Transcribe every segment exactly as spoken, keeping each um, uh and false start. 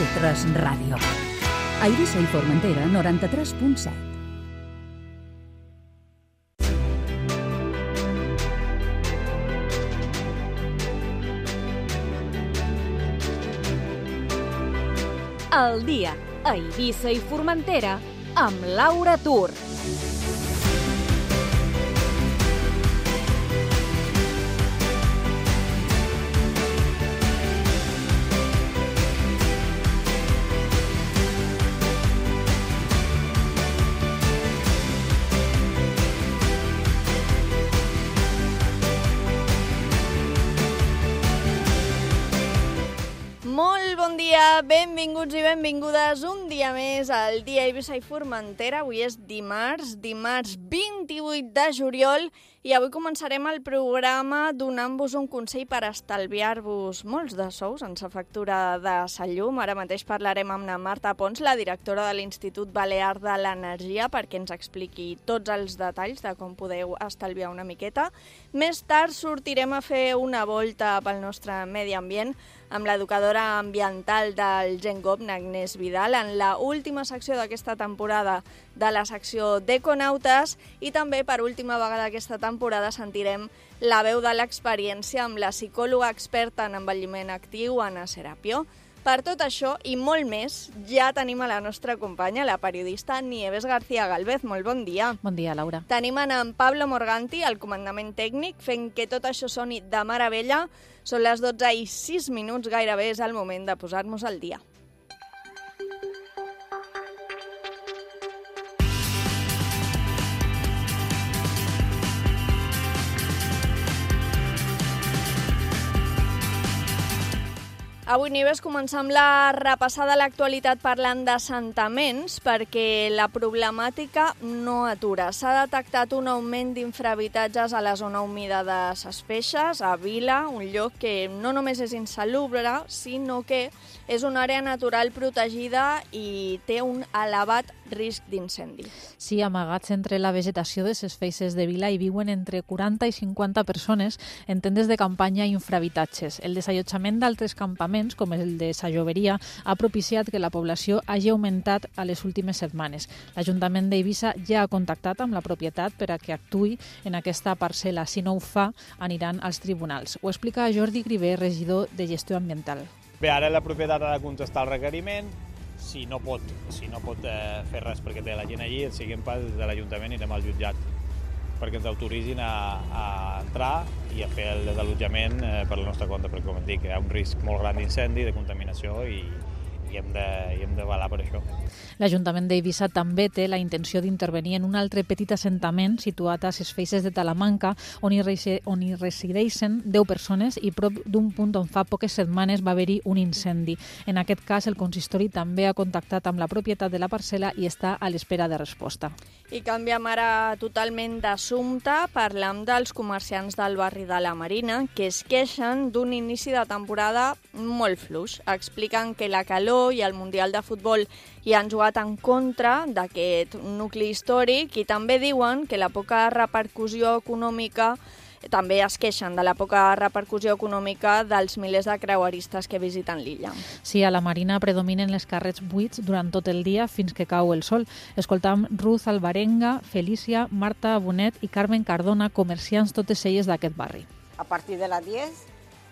de tres Ràdio. A Eivissa i Formentera, noranta-tres punt set. El dia a Eivissa i Formentera amb Laura Tur. Molt bon dia, benvinguts i benvingudes un dia més al dia Eivissa i Formentera. Avui és dimarts, dimarts vint-i-vuit de juliol, i avui començarem el programa donant-vos un consell per estalviar-vos molts de sous en sa factura de sa llum. Ara mateix parlarem amb la Marta Pons, la directora de l'Institut Balear de l'Energia, perquè ens expliqui tots els detalls de com podeu estalviar una miqueta. Més tard sortirem a fer una volta pel nostre medi ambient amb l'educadora ambiental del GenGov, Agnès Vidal, en la última secció d'aquesta temporada de la secció d'Econautes, i també per última vegada aquesta temporada sentirem la veu de l'experiència amb la psicòloga experta en envelliment actiu, Anna Serapio. Per tot això i molt més, ja tenim a la nostra companya, la periodista Nieves García Galvez. Molt bon dia. Bon dia, Laura. Tenim en Pablo Morganti, al comandament tècnic, fent que tot això soni de meravella. Són les dotze i sis minuts, gairebé és el moment de posar-nos al dia. Avui, Nieves, començam la repassada a l'actualitat parlant d'assentaments, perquè la problemàtica no atura. S'ha detectat un augment d'infrahabitatges a la zona humida de Ses Feixes, a Vila, un lloc que no només és insalubre, sinó que és una àrea natural protegida i té un elevat risc d'incendi. Sí, amagats entre la vegetació de Ses Feixes de Vila hi viuen entre quaranta i cinquanta persones en tendes de campanya i infrahabitatges. El desallotjament d'altres campaments, com el de Sa Lloberia, ha propiciat que la població hagi augmentat a les últimes setmanes. L'Ajuntament d'Eivissa ja ha contactat amb la propietat per a que actuï en aquesta parcel·la. Si no ho fa, aniran als tribunals. Ho explica Jordi Griver, regidor de Gestió Ambiental. Bé, ara la propietat ha de contestar el requeriment. Si no pot, si no pot eh, fer res perquè té la gent allí, el següent pas de l'Ajuntament irem al jutjat perquè ens autoritzin a, a entrar i a fer el desallotjament eh, per la nostra compte, perquè, com et dic, hi ha un risc molt gran d'incendi, de contaminació, i, i hem de, i hem de velar per això. L'Ajuntament d'Eivissa també té la intenció d'intervenir en un altre petit assentament situat a Ses Feixes de Talamanca, on hi, resi on hi resideixen deu persones i prop d'un punt on fa poques setmanes va haver-hi un incendi. En aquest cas, el consistori també ha contactat amb la propietat de la parcel·la i està a l'espera de resposta. I canviem ara totalment d'assumpte. Parlam dels comerciants del barri de la Marina, que es queixen d'un inici de temporada molt fluix. Expliquen que la calor i el Mundial de Futbol hi han jugat en contra d'aquest nucli històric, i també diuen que la poca repercussió econòmica, també es queixen de la poca repercussió econòmica dels milers de creueristes que visiten l'illa. Sí, a la Marina predominen les carrets buits durant tot el dia fins que cau el sol. Escoltam Ruth Alvarenga, Felícia, Marta Bonet i Carmen Cardona, comerciants totes elles d'aquest barri. A partir de las diez,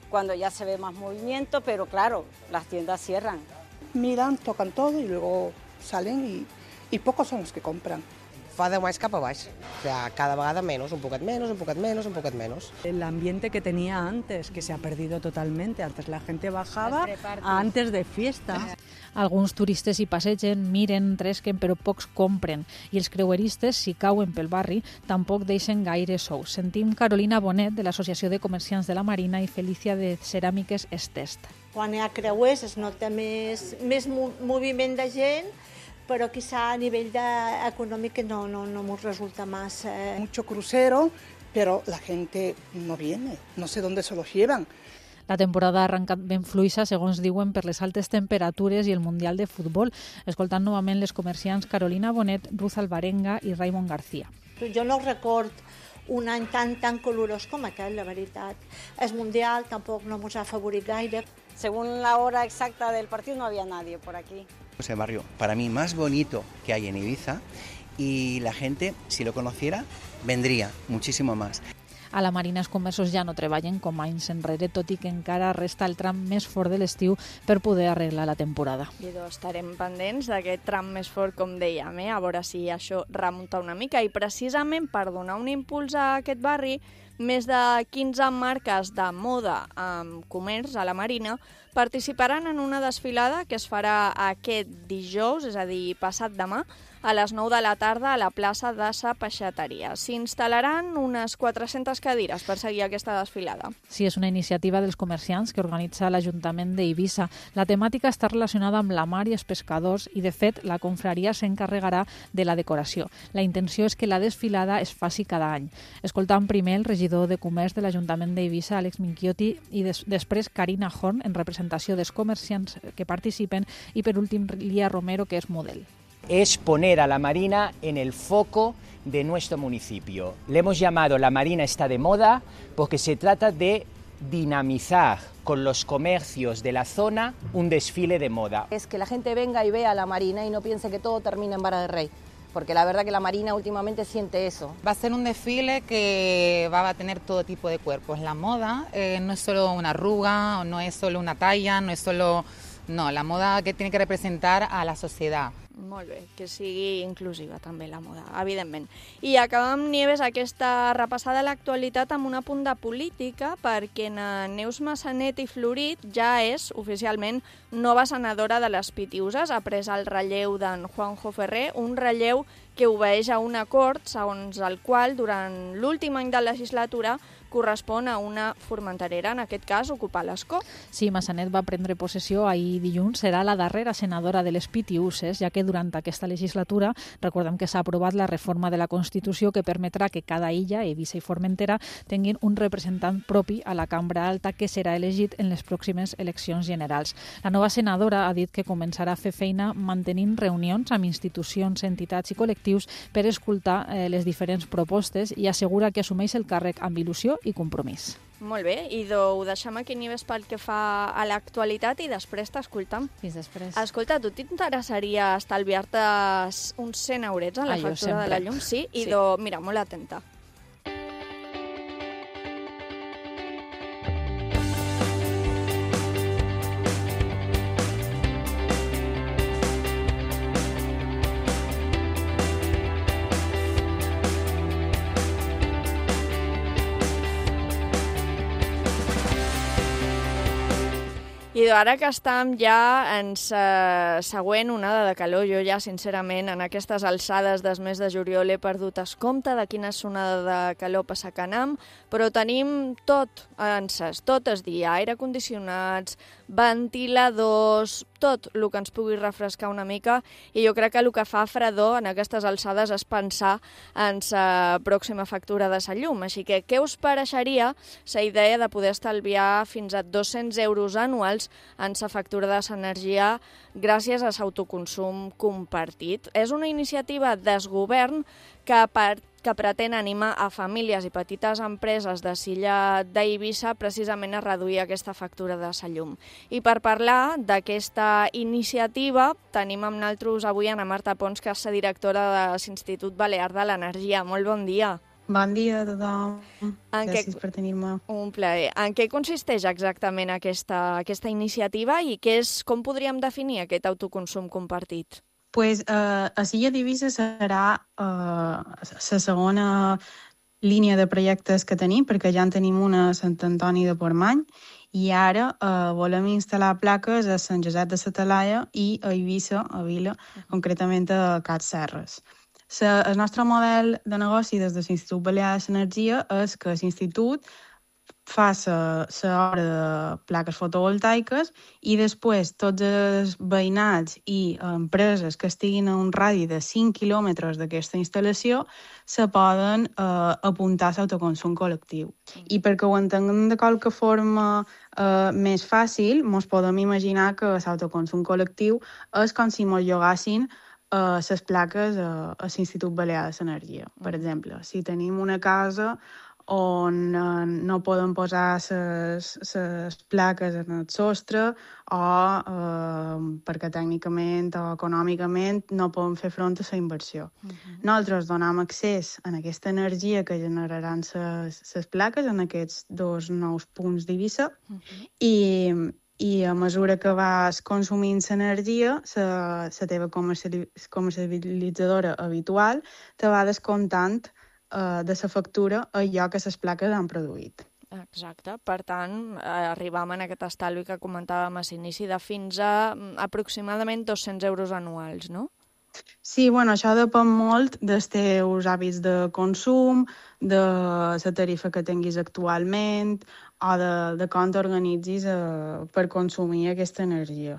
cuando ya se ve más movimiento, pero claro, las tiendas cierran. Miran, tocan todo y luego salen y, y pocos son los que compran. Va de más cap a baix, o sea, cada vegada menos, un poquet menos, un poquet menos, un poquet menos. El ambiente que tenía antes, que se ha perdido totalmente. Antes la gente bajaba antes de fiesta. Alguns turistes hi passegen, miren, tresquen, però pocs compren. I els creueristes, si cauen pel barri, tampoc deixen gaire sous. Sentim Carolina Bonet, de l'Associació de Comerciants de la Marina, i Felícia, de Ceràmiques Estest. Quan hi ha creuers es nota més, més moviment de gent, pero quizá a nivel de, económico no, no, no nos resulta más... Eh... Mucho crucero, pero la gente no viene, no sé dónde se los llevan. La temporada ha arrencat ben fluixa, segons diuen, per les altes temperatures i el Mundial de Futbol. Escoltant novament les comerciants Carolina Bonet, Ruth Alvarenga i Raimon García. Jo no record un any tan, tan calorós com aquest, la veritat. Es mundial, tampoc no ens ha favorit gaire. Según la hora exacta del partido no había nadie por aquí. Es el barrio, para mí, más bonito que hay en Ibiza y la gente, si lo conociera, vendría muchísimo más. A la Marina els comerços ja no treballen com anys enrere, tot i que encara resta el tram més fort de l'estiu per poder arreglar la temporada. I doncs estarem pendents d'aquest tram més fort, com dèiem, eh? A veure si això remunta una mica. I precisament per donar un impuls a aquest barri, més de quinze marques de moda amb comerç a la Marina participaran en una desfilada que es farà aquest dijous, és a dir, passat demà, a les nou de la tarda a la plaça de sa Peixateria. S'instal·laran unes quatre-centes cadires per seguir aquesta desfilada. Sí, és una iniciativa dels comerciants que organitza l'Ajuntament d'Eivissa. La temàtica està relacionada amb la mar i els pescadors i, de fet, la confraria s'encarregarà de la decoració. La intenció és que la desfilada es faci cada any. Escoltam primer el regidor de Comerç de l'Ajuntament d'Eivissa, Àlex Minchiotti, i des després Carina Horn, en representació dels comerciants que participen, i per últim Lía Romero, que és model. Es poner a la Marina en el foco de nuestro municipio. Le hemos llamado La Marina está de moda porque se trata de dinamizar con los comercios de la zona un desfile de moda. Es que la gente venga y vea la Marina y no piense que todo termina en Vara de Rey, porque la verdad que la Marina últimamente siente eso. Va a ser un desfile que va a tener todo tipo de cuerpos. La moda eh, no es solo una arruga, no es solo una talla, no es solo... No, la moda que tiene que representar a la sociedad. Molt bé, que sigui inclusiva també la moda, evidentment. I acabem, Nieves, aquesta repassada a l'actualitat amb un apunt de política, perquè Neus Massanet i Florit ja és, oficialment, nova senadora de les Pitiuses, ha pres el relleu d'en Juanjo Ferrer, un relleu que obeeix a un acord segons el qual, durant l'últim any de legislatura, correspon a una formenterera, en aquest cas, ocupar l'escó. Sí, Massanet va prendre possessió ahir dilluns, serà la darrera senadora de les Pitiuses, ja que durant aquesta legislatura, recordem que s'ha aprovat la reforma de la Constitució que permetrà que cada illa, Eivissa i Formentera, tinguin un representant propi a la Cambra Alta que serà elegit en les pròximes eleccions generals. La nova senadora ha dit que començarà a fer feina mantenint reunions amb institucions, entitats i col·lectius per escoltar eh, les diferents propostes i assegura que assumeix el càrrec amb il·lusió i compromís. Molt bé, i ho deixem aquí, Nieves, pel que fa a l'actualitat i després t'escoltam. Fins després. Escolta, tu t'interessaria estalviar-te uns cent eurets en la ah, factura de la llum? Sí? I sí. do, mira, molt atenta. I ara que estem ja en sa següent onada de calor, jo ja, sincerament, en aquestes alçades des mes de juliol he perdut el compte de quina onada de calor passa a Canam, però tenim tot en ses, tot el dia, aire condicionats, ventiladors, tot el que ens pugui refrescar una mica, i jo crec que el que fa fredor en aquestes alçades és pensar en sa pròxima factura de sa llum. Així que què us pareixeria la idea de poder estalviar fins a dos-cents euros anuals en sa factura de l'energia gràcies a l'autoconsum compartit? És una iniciativa del govern que per que pretén animar a famílies i petites empreses de l'illa d'Eivissa precisament a reduir aquesta factura de la llum. I per parlar d'aquesta iniciativa tenim amb nosaltres avui Ana Marta Pons, que és la directora de l'Institut Balear de l'Energia. Molt bon dia. Bon dia a tothom. En Gràcies què... per tenir-me. Un plaer. En què consisteix exactament aquesta, aquesta iniciativa i què és, com podríem definir aquest autoconsum compartit? Pues, eh, a l'illa d'Eivissa serà eh, la segona línia de projectes que tenim, perquè ja en tenim una a Sant Antoni de Portmany, i ara eh, volem instal·lar plaques a Sant Josep de la Talaia i a Eivissa, a Vila, concretament a Cat Serres. La, el nostre model de negoci des de l'Institut Balear de l'Energia és que l'Institut fa l'obra de plaques fotovoltaiques i després tots els veïnats i empreses que estiguin a un radi de cinc quilòmetres d'aquesta instal·lació se poden eh, apuntar a l'autoconsum col·lectiu. I perquè ho entenguem de qualque forma eh, més fàcil, ens podem imaginar que l'autoconsum col·lectiu és com si ens llogassin uh, les plaques a, a l'Institut Balear de l'Energia. Per exemple, si tenim una casa on uh, no poden posar les plaques en el sostre o uh, perquè tècnicament o econòmicament no poden fer front a la inversió. Uh-huh. Nosaltres donem accés a aquesta energia que generaran les plaques en aquests dos nous punts d'Eivissa uh-huh. i, i a mesura que vas consumint l'energia, la teva comercialitzadora habitual te va descomptant de la factura allò que les plaques han produït. Exacte. Per tant, arribam en aquest estalvi que comentàvem a l'inici de fins a aproximadament dos-cents euros anuals, no? Sí, bueno, això depèn molt dels teus hàbits de consum, de la tarifa que tinguis actualment o de, de com t'organitzis eh, per consumir aquesta energia.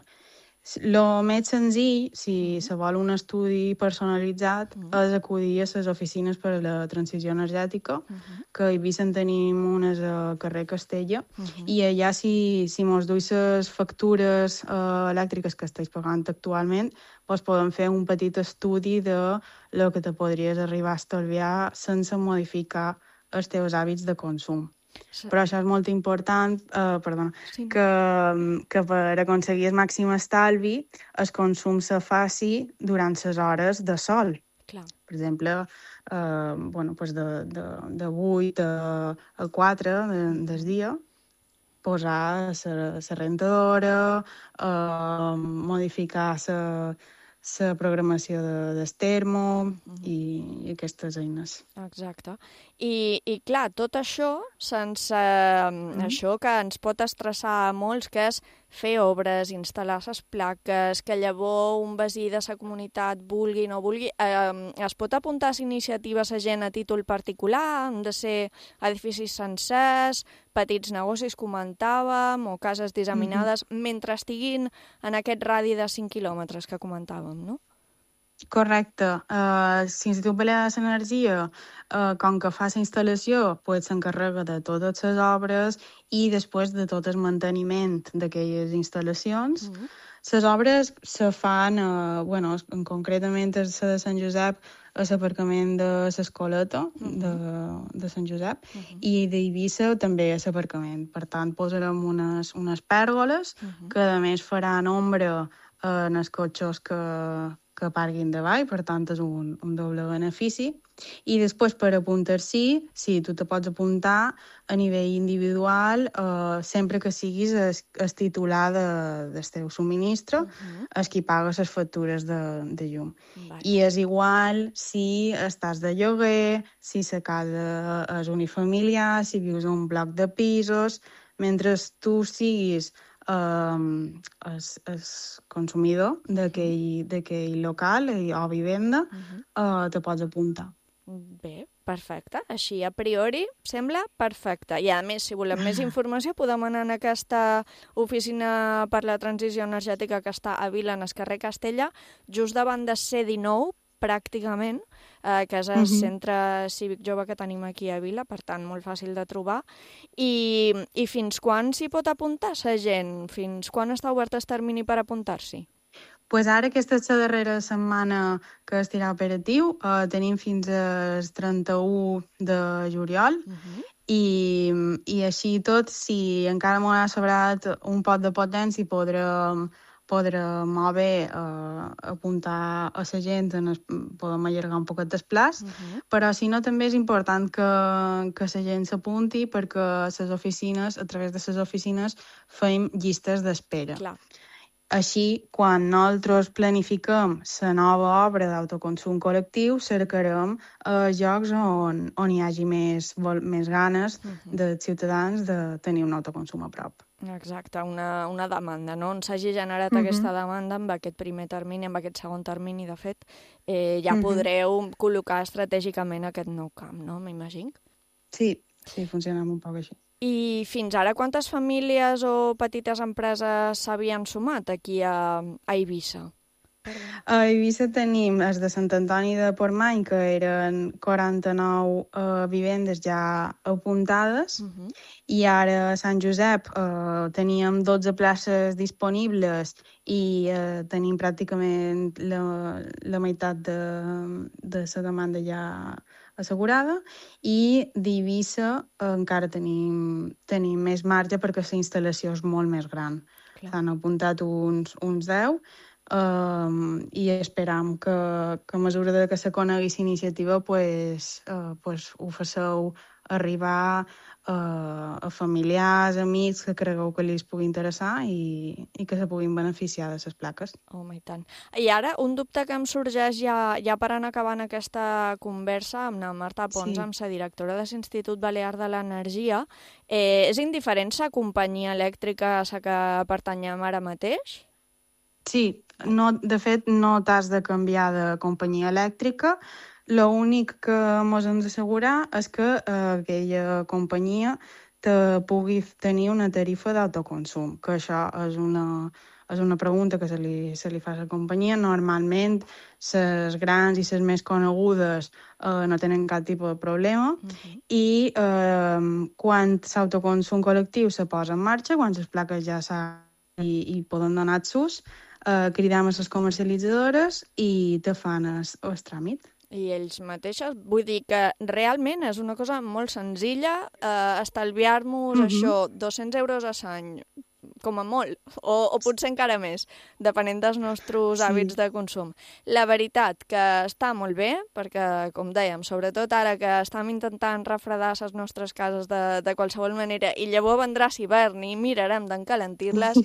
El més senzill, si se vol un estudi personalitzat, uh -huh. és acudir a les oficines per a la transició energètica, uh -huh. que a Eivissa en tenim unes a carrer Castella, uh -huh. i allà si, si mos duis les factures uh, elèctriques que estàs pagant actualment, doncs podem fer un petit estudi de lo que te podries arribar a estalviar sense modificar els teus hàbits de consum. Sí. Però això és molt important, eh, perdona, sí. que, que per aconseguir el màxim estalvi el consum se faci durant les hores de sol. Clar. Per exemple, eh, bueno, pues de, de, de vuit a quatre de, del dia, posar la rentadora, eh, modificar la la programació de, del termo uh-huh. i, i aquestes eines. Exacte. I, i clar, tot això sense uh-huh. això que ens pot estressar a molts, que és fer obres, instal·lar les plaques, que llavors un veí de la comunitat vulgui o no vulgui. Eh, es pot apuntar a les iniciatives a gent a títol particular? Han de ser edificis sencers, petits negocis, comentàvem, o cases disseminades, uh-huh. mentre estiguin en aquest radi de cinc quilòmetres que comentàvem, no? Correcte. Uh, L'Institut Balear de l'Energia, uh, com que fa la instal·lació, pues, s'encarrega de totes les obres i després de tot el manteniment d'aquelles instal·lacions. Uh-huh. Les obres se fan, uh, bueno, concretament a la de Sant Josep, a l'aparcament de l'Escoleta uh-huh. de, de Sant Josep, uh-huh. i d'Eivissa també a l'aparcament. Per tant, posarem unes, unes pèrgoles uh-huh. que a més faran ombra en els cotxes que que parguin davall, per tant és un, un doble benefici. I després per apuntar-s'hi, sí, tu te pots apuntar a nivell individual eh, sempre que siguis el, el titular de, del teu subministre, uh-huh. el qui paga les factures de, de llum. Vale. I és igual si estàs de lloguer, si la casa és unifamiliar, si vius en un bloc de pisos, mentre tu siguis Um, es, es consumidor d'aquell local o vivenda, uh-huh. uh, te pots apuntar. Bé, perfecte. Així, a priori, sembla perfecte. I, a més, si volem més informació, podem anar en aquesta oficina per la transició energètica que està a Vila, en el carrer Castella, just davant de C dinou, pràcticament, eh, que és el uh-huh. centre cívic jove que tenim aquí a Vila, per tant, molt fàcil de trobar. I, i fins quan s'hi pot apuntar la gent? Fins quan està obert el termini per apuntar-s'hi? Pues ara, aquesta és la darrera setmana que estirà operatiu. Uh, tenim fins al trenta-u de juliol. Uh-huh. I, i així tot, si encara m'ho ha sobrat un pot de potència, podrem podrà molt bé eh, apuntar a la gent, en el, podem allargar un poquet el plaç, uh-huh. però si no també és important que, que la gent s'apunti perquè les oficines, a través de les oficines, fem llistes d'espera. Clar. Així, quan nosaltres planifiquem la nova obra d'autoconsum col·lectiu, cercarem eh, llocs on, on hi hagi més, vol, més ganes uh-huh. dels ciutadans de tenir un autoconsum a prop. Exacte, una, una demanda, no? On s'hagi generat uh-huh. aquesta demanda amb aquest primer termini, amb aquest segon termini, de fet, eh, ja uh-huh. podreu col·locar estratègicament aquest nou camp, no? M'imagino. Sí, sí, funcionem un poc així. I fins ara quantes famílies o petites empreses s'havien sumat aquí a, a Eivissa? A Eivissa tenim els de Sant Antoni de Portmany, que eren quaranta-nou uh, vivendes ja apuntades, uh -huh. i ara a Sant Josep uh, teníem dotze places disponibles i uh, tenim pràcticament la, la meitat de, de la demanda ja assegurada, i d'Eivissa uh, encara tenim, tenim més marge perquè la instal·lació és molt més gran. S'han apuntat uns, uns deu, Um, i esperam que, que a mesura de que se conegui la iniciativa pues, uh, pues ho faceu arribar uh, a familiars, amics que cregueu que li pugui interessar i, i que se puguin beneficiar de les plaques. Home, i tant. I ara, un dubte que em sorgeix ja, ja per anar acabant aquesta conversa amb la Marta Pons, sí. amb la directora de l'Institut Balear de l'Energia, eh, és indiferent la companyia elèctrica a la que pertanyem ara mateix? Sí, no, de fet no t'has de canviar de companyia elèctrica. L'únic que ens hem d'assegurar és que eh, aquella companyia te pugui tenir una tarifa d'autoconsum, que això és una, és una pregunta que se li, se li fa a la companyia. Normalment, les grans i les més conegudes eh, no tenen cap tipus de problema, uh-huh. i eh, quan l'autoconsum col·lectiu se posa en marxa, quan les plaques ja s'ha i, i poden donar sus, Uh, cridam a les comercialitzadores i te fan el, el tràmit. I ells mateixos, vull dir que realment és una cosa molt senzilla, uh, estalviar-nos mm-hmm. això, dos-cents euros a l'any, com a molt, o, o potser encara més, depenent dels nostres sí. hàbits de consum. La veritat que està molt bé, perquè, com dèiem, sobretot ara que estem intentant refredar les nostres cases de, de qualsevol manera, i llavors vendrà l'hivern i mirarem d'encalentir-les,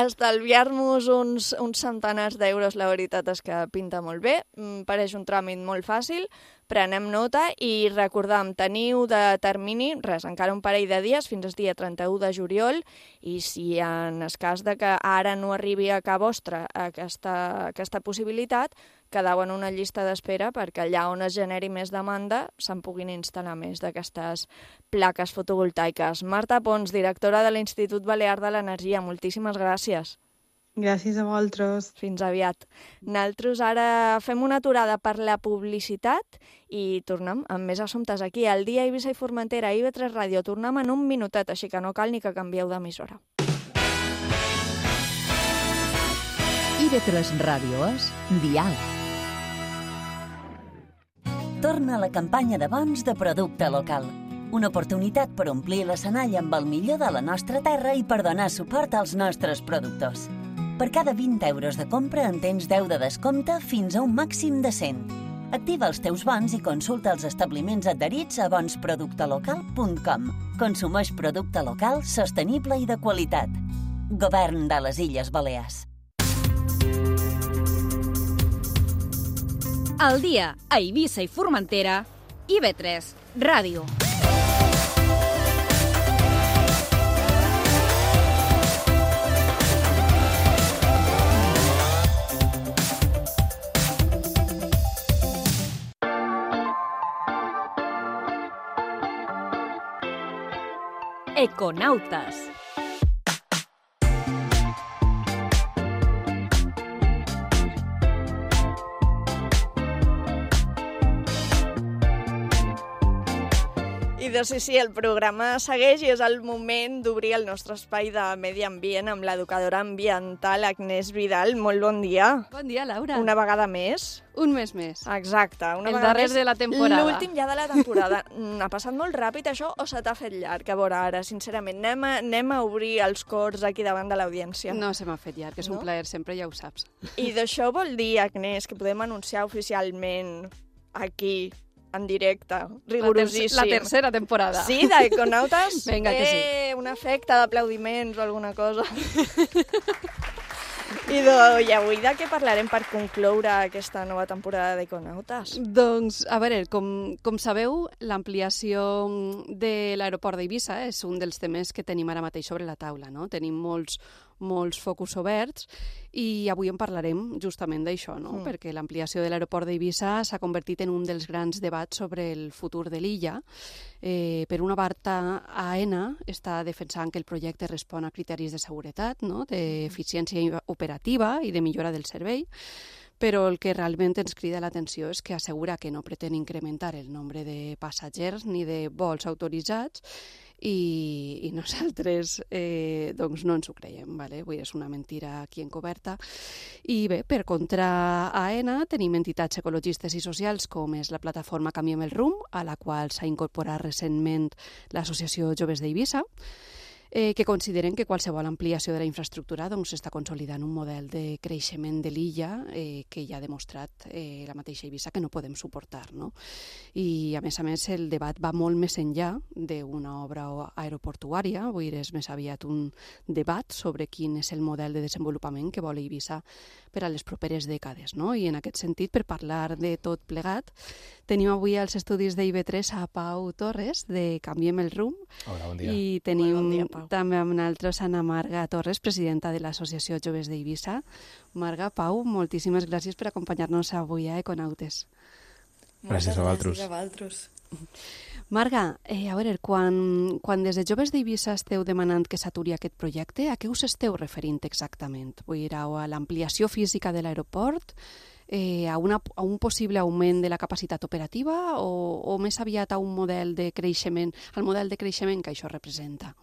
estalviar-nos uns, uns centenars d'euros, la veritat és que pinta molt bé, em pareix un tràmit molt fàcil, prenem nota i recordam, teniu de termini, res, encara un parell de dies, fins al dia trenta-u de juliol, i si en el cas de que ara no arribi a cap vostre aquesta, aquesta possibilitat, quedeu en una llista d'espera perquè allà on es generi més demanda se'n puguin instal·lar més d'aquestes plaques fotovoltaiques. Marta Pons, directora de l'Institut Balear de l'Energia, moltíssimes gràcies. Gràcies a vosaltres. Fins aviat. Nosaltres ara fem una aturada per la publicitat i tornem amb més assumptes aquí al Dia Eivissa i Formentera, I V tres Ràdio. Tornem en un minutet, així que no cal ni que canvieu d'emissora. I V tres Ràdio és Dial. Torna la campanya de bons de producte local. Una oportunitat per omplir l'escenari amb el millor de la nostra terra i per donar suport als nostres productors. Per cada vint euros de compra en tens deu de descompte fins a un màxim de cent. Activa els teus bons i consulta els establiments adherits a bons producte local punt com. Consumeix producte local, sostenible i de qualitat. Govern de les Illes Balears. Al dia a Eivissa i Formentera, I V tres Ràdio. Econautes. I de sí, sí, el programa segueix i és el moment d'obrir el nostre espai de medi ambient amb l'educadora ambiental Agnès Vidal. Molt bon dia. Bon dia, Laura. Una vegada més. Un mes més. Exacte. Una el vegada darrer més, de la temporada. L'últim ja de la temporada. Ha passat molt ràpid això o se t'ha fet llarg? A veure, ara, sincerament, anem a, anem a obrir els cors aquí davant de l'audiència. No se m'ha fet llarg, és no? un plaer sempre, ja ho saps. I d'això vol dir, Agnès, que podem anunciar oficialment aquí, en directe, rigorosíssim. La, ter la tercera temporada. Sí, d'Econautes? Vinga, que sí. Eh, un efecte d'aplaudiments o alguna cosa. I, do, I avui de què parlarem per concloure aquesta nova temporada d'Econautes? Doncs, a veure, com, com sabeu, l'ampliació de l'aeroport d'Eivissa és un dels temes que tenim ara mateix sobre la taula, no? Tenim molts, molts focus oberts i avui en parlarem justament d'això, no? Mm. Perquè l'ampliació de l'aeroport d'Eivissa s'ha convertit en un dels grans debats sobre el futur de l'illa. Eh, per una part, AENA està defensant que el projecte respon a criteris de seguretat, no? D'eficiència operativa i de millora del servei. però el que realment ens crida l'atenció és que assegura que no pretén incrementar el nombre de passatgers ni de vols autoritzats i, i nosaltres eh, doncs no ens ho creiem, vale? Vull dir, és una mentira aquí encoberta. I bé, per contra Aena tenim entitats ecologistes i socials com és la plataforma Canviem el Rumb, a la qual s'ha incorporat recentment l'associació Joves d'Eivissa, eh, que consideren que qualsevol ampliació de la infraestructura doncs, està consolidant un model de creixement de l'illa eh, que ja ha demostrat eh, la mateixa Eivissa que no podem suportar, no? I, a més a més, el debat va molt més enllà d'una obra aeroportuària, vull dir, és més aviat un debat sobre quin és el model de desenvolupament que vol Eivissa per a les properes dècades, no? I en aquest sentit, per parlar de tot plegat, tenim avui als estudis d'I V tres a Pau Torres, de Canviem el Rumb. Hola, bon dia. I tenim bon dia, Pau. també amb nosaltres Ana Marga Torres, presidenta de l'Associació Joves d'Eivissa. Marga, Pau, moltíssimes gràcies per acompanyar-nos avui a Econautes. Gràcies a vosaltres. Gràcies a vosaltres. Marga, eh, a veure, quan, quan des de Joves d'Eivissa esteu demanant que s'aturi aquest projecte, a què us esteu referint exactament? Vull dir, a l'ampliació física de l'aeroport, eh, a, una, a un possible augment de la capacitat operativa o, o més aviat a un model de creixement, al model de creixement que això representa?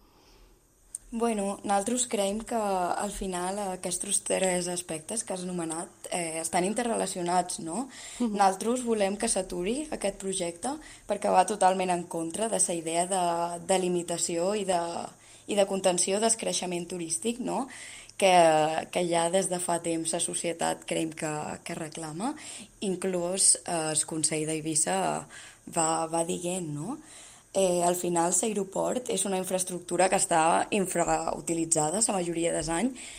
Bueno, nosaltres creiem que al final aquests tres aspectes que has anomenat eh, estan interrelacionats, no? Uh-huh. Nosaltres volem que s'aturi aquest projecte perquè va totalment en contra de la idea de, de limitació i de, i de contenció del creixement turístic, no? Que, que ja des de fa temps la societat creiem que, que reclama, inclús eh, el Consell d'Eivissa va, va dient, no? Eh, al final l'aeroport és una infraestructura que està infrautilitzada la majoria dels anys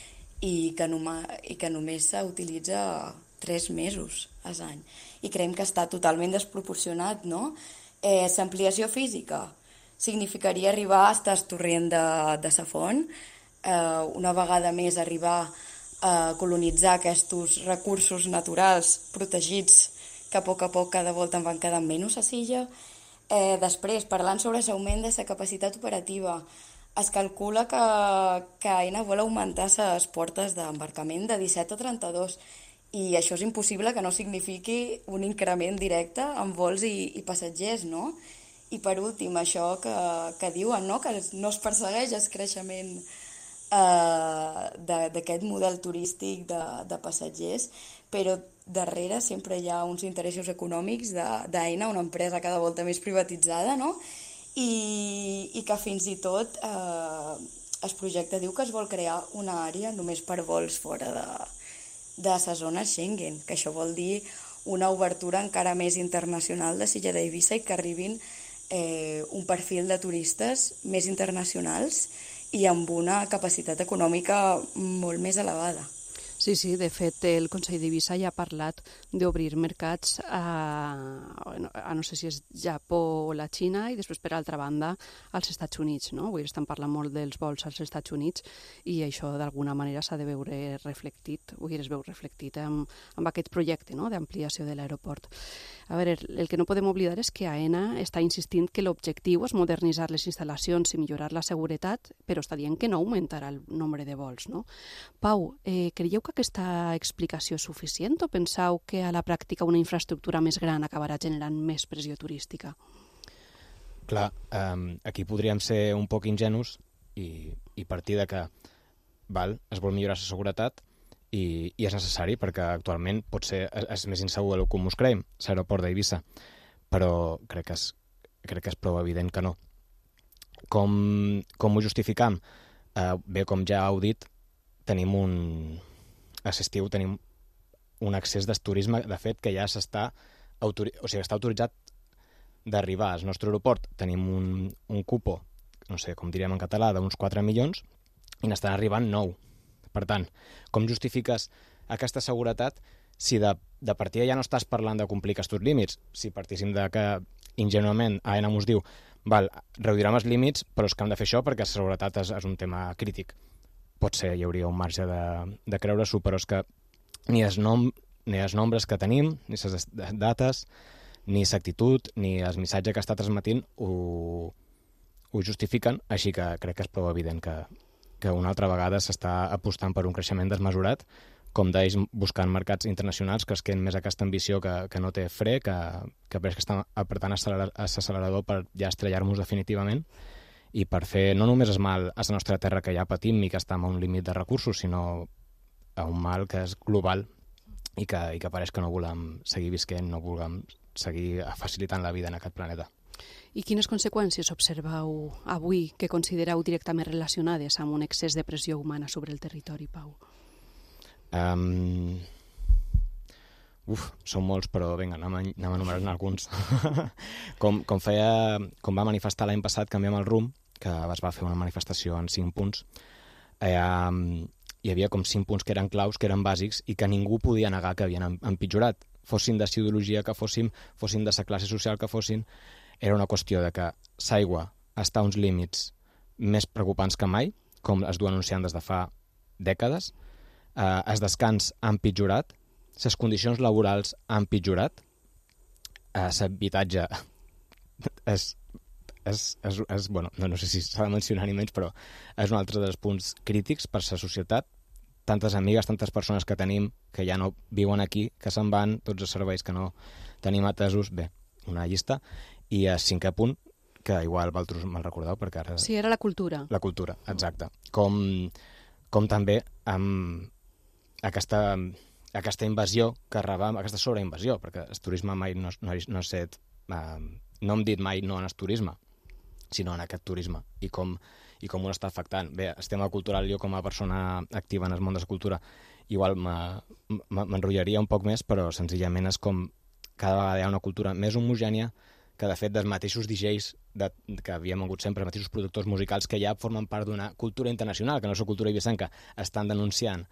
i que, noma, i que només s'utilitza tres mesos a l'any. I creiem que està totalment desproporcionat, no? Eh, l'ampliació física significaria arribar a estar torrent de, de sa font, eh, una vegada més arribar a colonitzar aquests recursos naturals protegits que a poc a poc cada volta en van quedant menys a l'illa. Eh, després, parlant sobre l'augment de la capacitat operativa, es calcula que, que Aena vol augmentar les portes d'embarcament de disset a trenta-dos i això és impossible que no signifiqui un increment directe en vols i, i passatgers, no? I per últim, això que, que diuen, no? Que no es persegueix el creixement eh, d'aquest model turístic de, de passatgers, però darrere sempre hi ha uns interessos econòmics d'Aena, una empresa cada volta més privatitzada, no? I, i que fins i tot eh, el projecte diu que es vol crear una àrea només per vols fora de, de la zona Schengen, que això vol dir una obertura encara més internacional de l'illa d'Eivissa i que arribin eh, un perfil de turistes més internacionals i amb una capacitat econòmica molt més elevada. Sí, sí, de fet el Consell d'Eivissa ja ha parlat d'obrir mercats a, a no sé si és Japó o la Xina i després per altra banda als Estats Units, no? Vull dir, estan parlant molt dels vols als Estats Units i això d'alguna manera s'ha de veure reflectit, vull dir, es veu reflectit amb, amb aquest projecte, no?, d'ampliació de l'aeroport. A veure, el que no podem oblidar és que Aena està insistint que l'objectiu és modernitzar les instal·lacions i millorar la seguretat, però està dient que no augmentarà el nombre de vols, no? Pau, eh, creieu que aquesta explicació és suficient o penseu que a la pràctica una infraestructura més gran acabarà generant més pressió turística? Clar, eh, aquí podríem ser un poc ingenus i, i partir de que val, es vol millorar la seguretat i, i és necessari perquè actualment pot ser és més insegur del que ens creiem, l'aeroport d'Eivissa, però crec que, és, crec que és prou evident que no. Com, com ho justificam? Eh, bé, com ja heu dit, tenim un... a l'estiu tenim un accés de turisme, de fet, que ja s'està autori... o sigui, està autoritzat d'arribar al nostre aeroport. Tenim un, un cupo, no sé, com diríem en català, d'uns quatre milions, i n'estan arribant nou. Per tant, com justifiques aquesta seguretat si de, de partida ja no estàs parlant de complir aquests límits? Si partíssim de que, ingenuament, Aena ens diu val, reduirem els límits, però és que hem de fer això perquè la seguretat és, és un tema crític. Pot ser, hi hauria un marge de, de creure-s'ho, però és que ni els, nom, ni els nombres que tenim, ni les dates, ni l'actitud, ni el missatge que està transmetint ho, ho justifiquen, així que crec que és prou evident que, que una altra vegada s'està apostant per un creixement desmesurat com deies, buscant mercats internacionals que es queden més aquesta ambició que, que no té fre, que, que pareix que està apretant l'accelerador per ja estrellar-nos definitivament i per fer no només el mal a la nostra terra que ja patim i que està a un límit de recursos, sinó a un mal que és global i que, i que pareix que no volem seguir visquent, no volem seguir facilitant la vida en aquest planeta. I quines conseqüències observeu avui que considereu directament relacionades amb un excés de pressió humana sobre el territori, Pau? Um... Uf, són molts, però vinga, anem, a, anem a enumerar-ne alguns. com, com, feia, com va manifestar l'any passat Canviem el rumb, que es va fer una manifestació en cinc punts, eh, um, hi havia com cinc punts que eren claus, que eren bàsics i que ningú podia negar que havien empitjorat. Fossin de ideologia que fossin, fossin de la classe social que fossin, era una qüestió de que l'aigua està a uns límits més preocupants que mai, com es du anunciant des de fa dècades, eh, el descans ha empitjorat, les condicions laborals han empitjorat, eh, l'habitatge és, és, és, és bueno, no, no sé si s'ha de mencionar ni menys, però és un altre dels punts crítics per la societat. Tantes amigues, tantes persones que tenim que ja no viuen aquí, que se'n van, tots els serveis que no tenim atesos, bé, una llista. I el cinquè punt, que igual vosaltres me'l recordeu, perquè ara... Sí, era la cultura. La cultura, exacte. Com, com també amb aquesta, aquesta invasió que rebem, aquesta sobreinvasió, perquè el turisme mai no, no, no, set, eh, no hem dit mai no en el turisme, sinó en aquest turisme, i com, i com ho està afectant. Bé, el tema cultural, jo com a persona activa en el món de la cultura, igual m'enrotllaria un poc més, però senzillament és com cada vegada hi ha una cultura més homogènia, que de fet dels mateixos D Js de, que havíem hagut sempre, els mateixos productors musicals que ja formen part d'una cultura internacional, que no és la cultura ibicenca, estan denunciant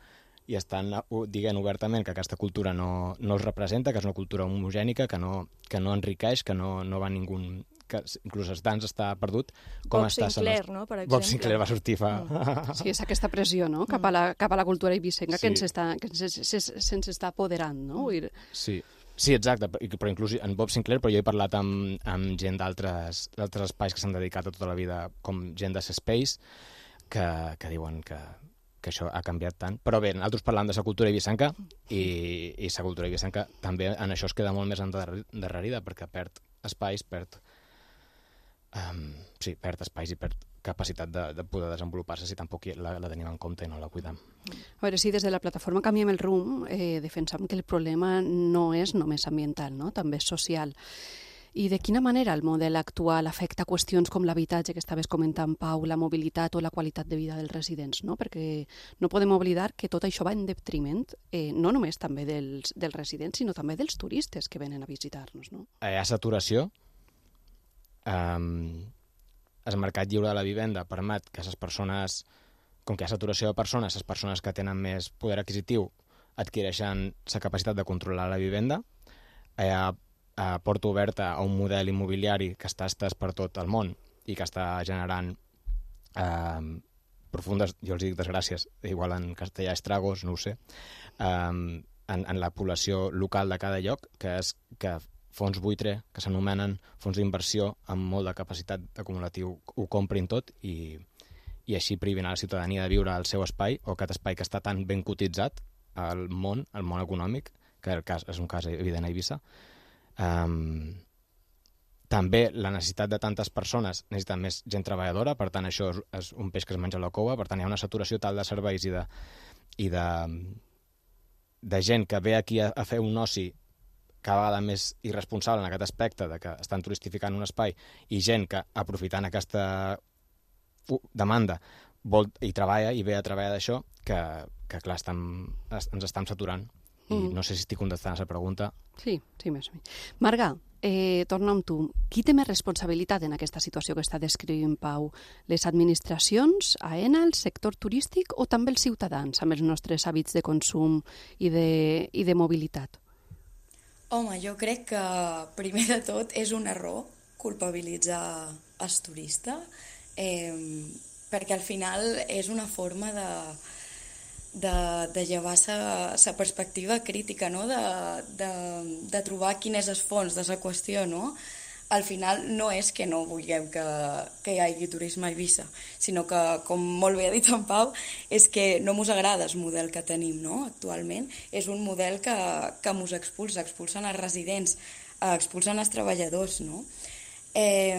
i estan dient obertament que aquesta cultura no, no els representa, que és una cultura homogènica, que no, que no enriqueix, que no, no va ningú... que inclús el dans està perdut. Com Bob està Sinclair, no?, per exemple. Bob Sinclair va sortir fa... Mm. Sí, és aquesta pressió, no?, cap a la, cap a la cultura ibicenca sí. que ens està, que ens, se'ns està apoderant, no? Sí. Sí, exacte, però inclús en Bob Sinclair, però jo he parlat amb, amb gent d'altres espais que s'han dedicat a tota la vida, com gent de Space, que, que diuen que, que això ha canviat tant. Però bé, nosaltres parlant de la cultura ibicenca, i, i la cultura ibicenca també en això es queda molt més endarrerida, perquè perd espais, perd, um, sí, perd espais i perd capacitat de, de poder desenvolupar-se si tampoc la, la tenim en compte i no la cuidem. A veure, sí, des de la plataforma Canviem el rumb eh, defensam que el problema no és només ambiental, no? També és social. I de quina manera el model actual afecta qüestions com l'habitatge que estaves comentant, Pau, la mobilitat o la qualitat de vida dels residents, no? Perquè no podem oblidar que tot això va en detriment, eh, no només també dels, dels residents, sinó també dels turistes que venen a visitar-nos, no? Hi ha saturació. Um... El mercat lliure de la vivenda permet que les persones, com que hi ha saturació de persones, les persones que tenen més poder adquisitiu adquireixen la capacitat de controlar la vivenda. Hi ha a porta oberta a un model immobiliari que està estès per tot el món i que està generant eh, profundes, jo els dic desgràcies, igual en castellà estragos, no ho sé, eh, en, en la població local de cada lloc, que és que fons buitre, que s'anomenen fons d'inversió amb molt de capacitat acumulatiu, ho comprin tot i, i així privin a la ciutadania de viure al seu espai, o aquest espai que està tan ben cotitzat al món, al món econòmic, que el cas, és un cas evident a Eivissa. Um, també la necessitat de tantes persones necessita més gent treballadora, per tant això és, és un peix que es menja la cova, per tant hi ha una saturació tal de serveis i de, i de, de gent que ve aquí a, a fer un oci cada vegada més irresponsable en aquest aspecte de que estan turistificant un espai i gent que, aprofitant aquesta demanda, vol, i treballa i ve a treballar d'això, que, que clar, estem, ens estem saturant. I mm. no sé si estic contestant a la pregunta. Sí, sí, més o menys. Marga, eh, torna amb tu. Qui té més responsabilitat en aquesta situació que està descrivint Pau? Les administracions, AENA, el sector turístic o també els ciutadans amb els nostres hàbits de consum i de, i de mobilitat? Home, jo crec que primer de tot és un error culpabilitzar el turista, eh, perquè al final és una forma de, de, de llevar la perspectiva crítica, no? de, de, de trobar quin és el fons de la qüestió, no? al final no és que no vulguem que, que hi hagi turisme a Eivissa, sinó que, com molt bé ha dit en Pau, és que no mos agrada el model que tenim, no?, actualment. És un model que, que mos expulsa, expulsen els residents, expulsen els treballadors, no? Eh,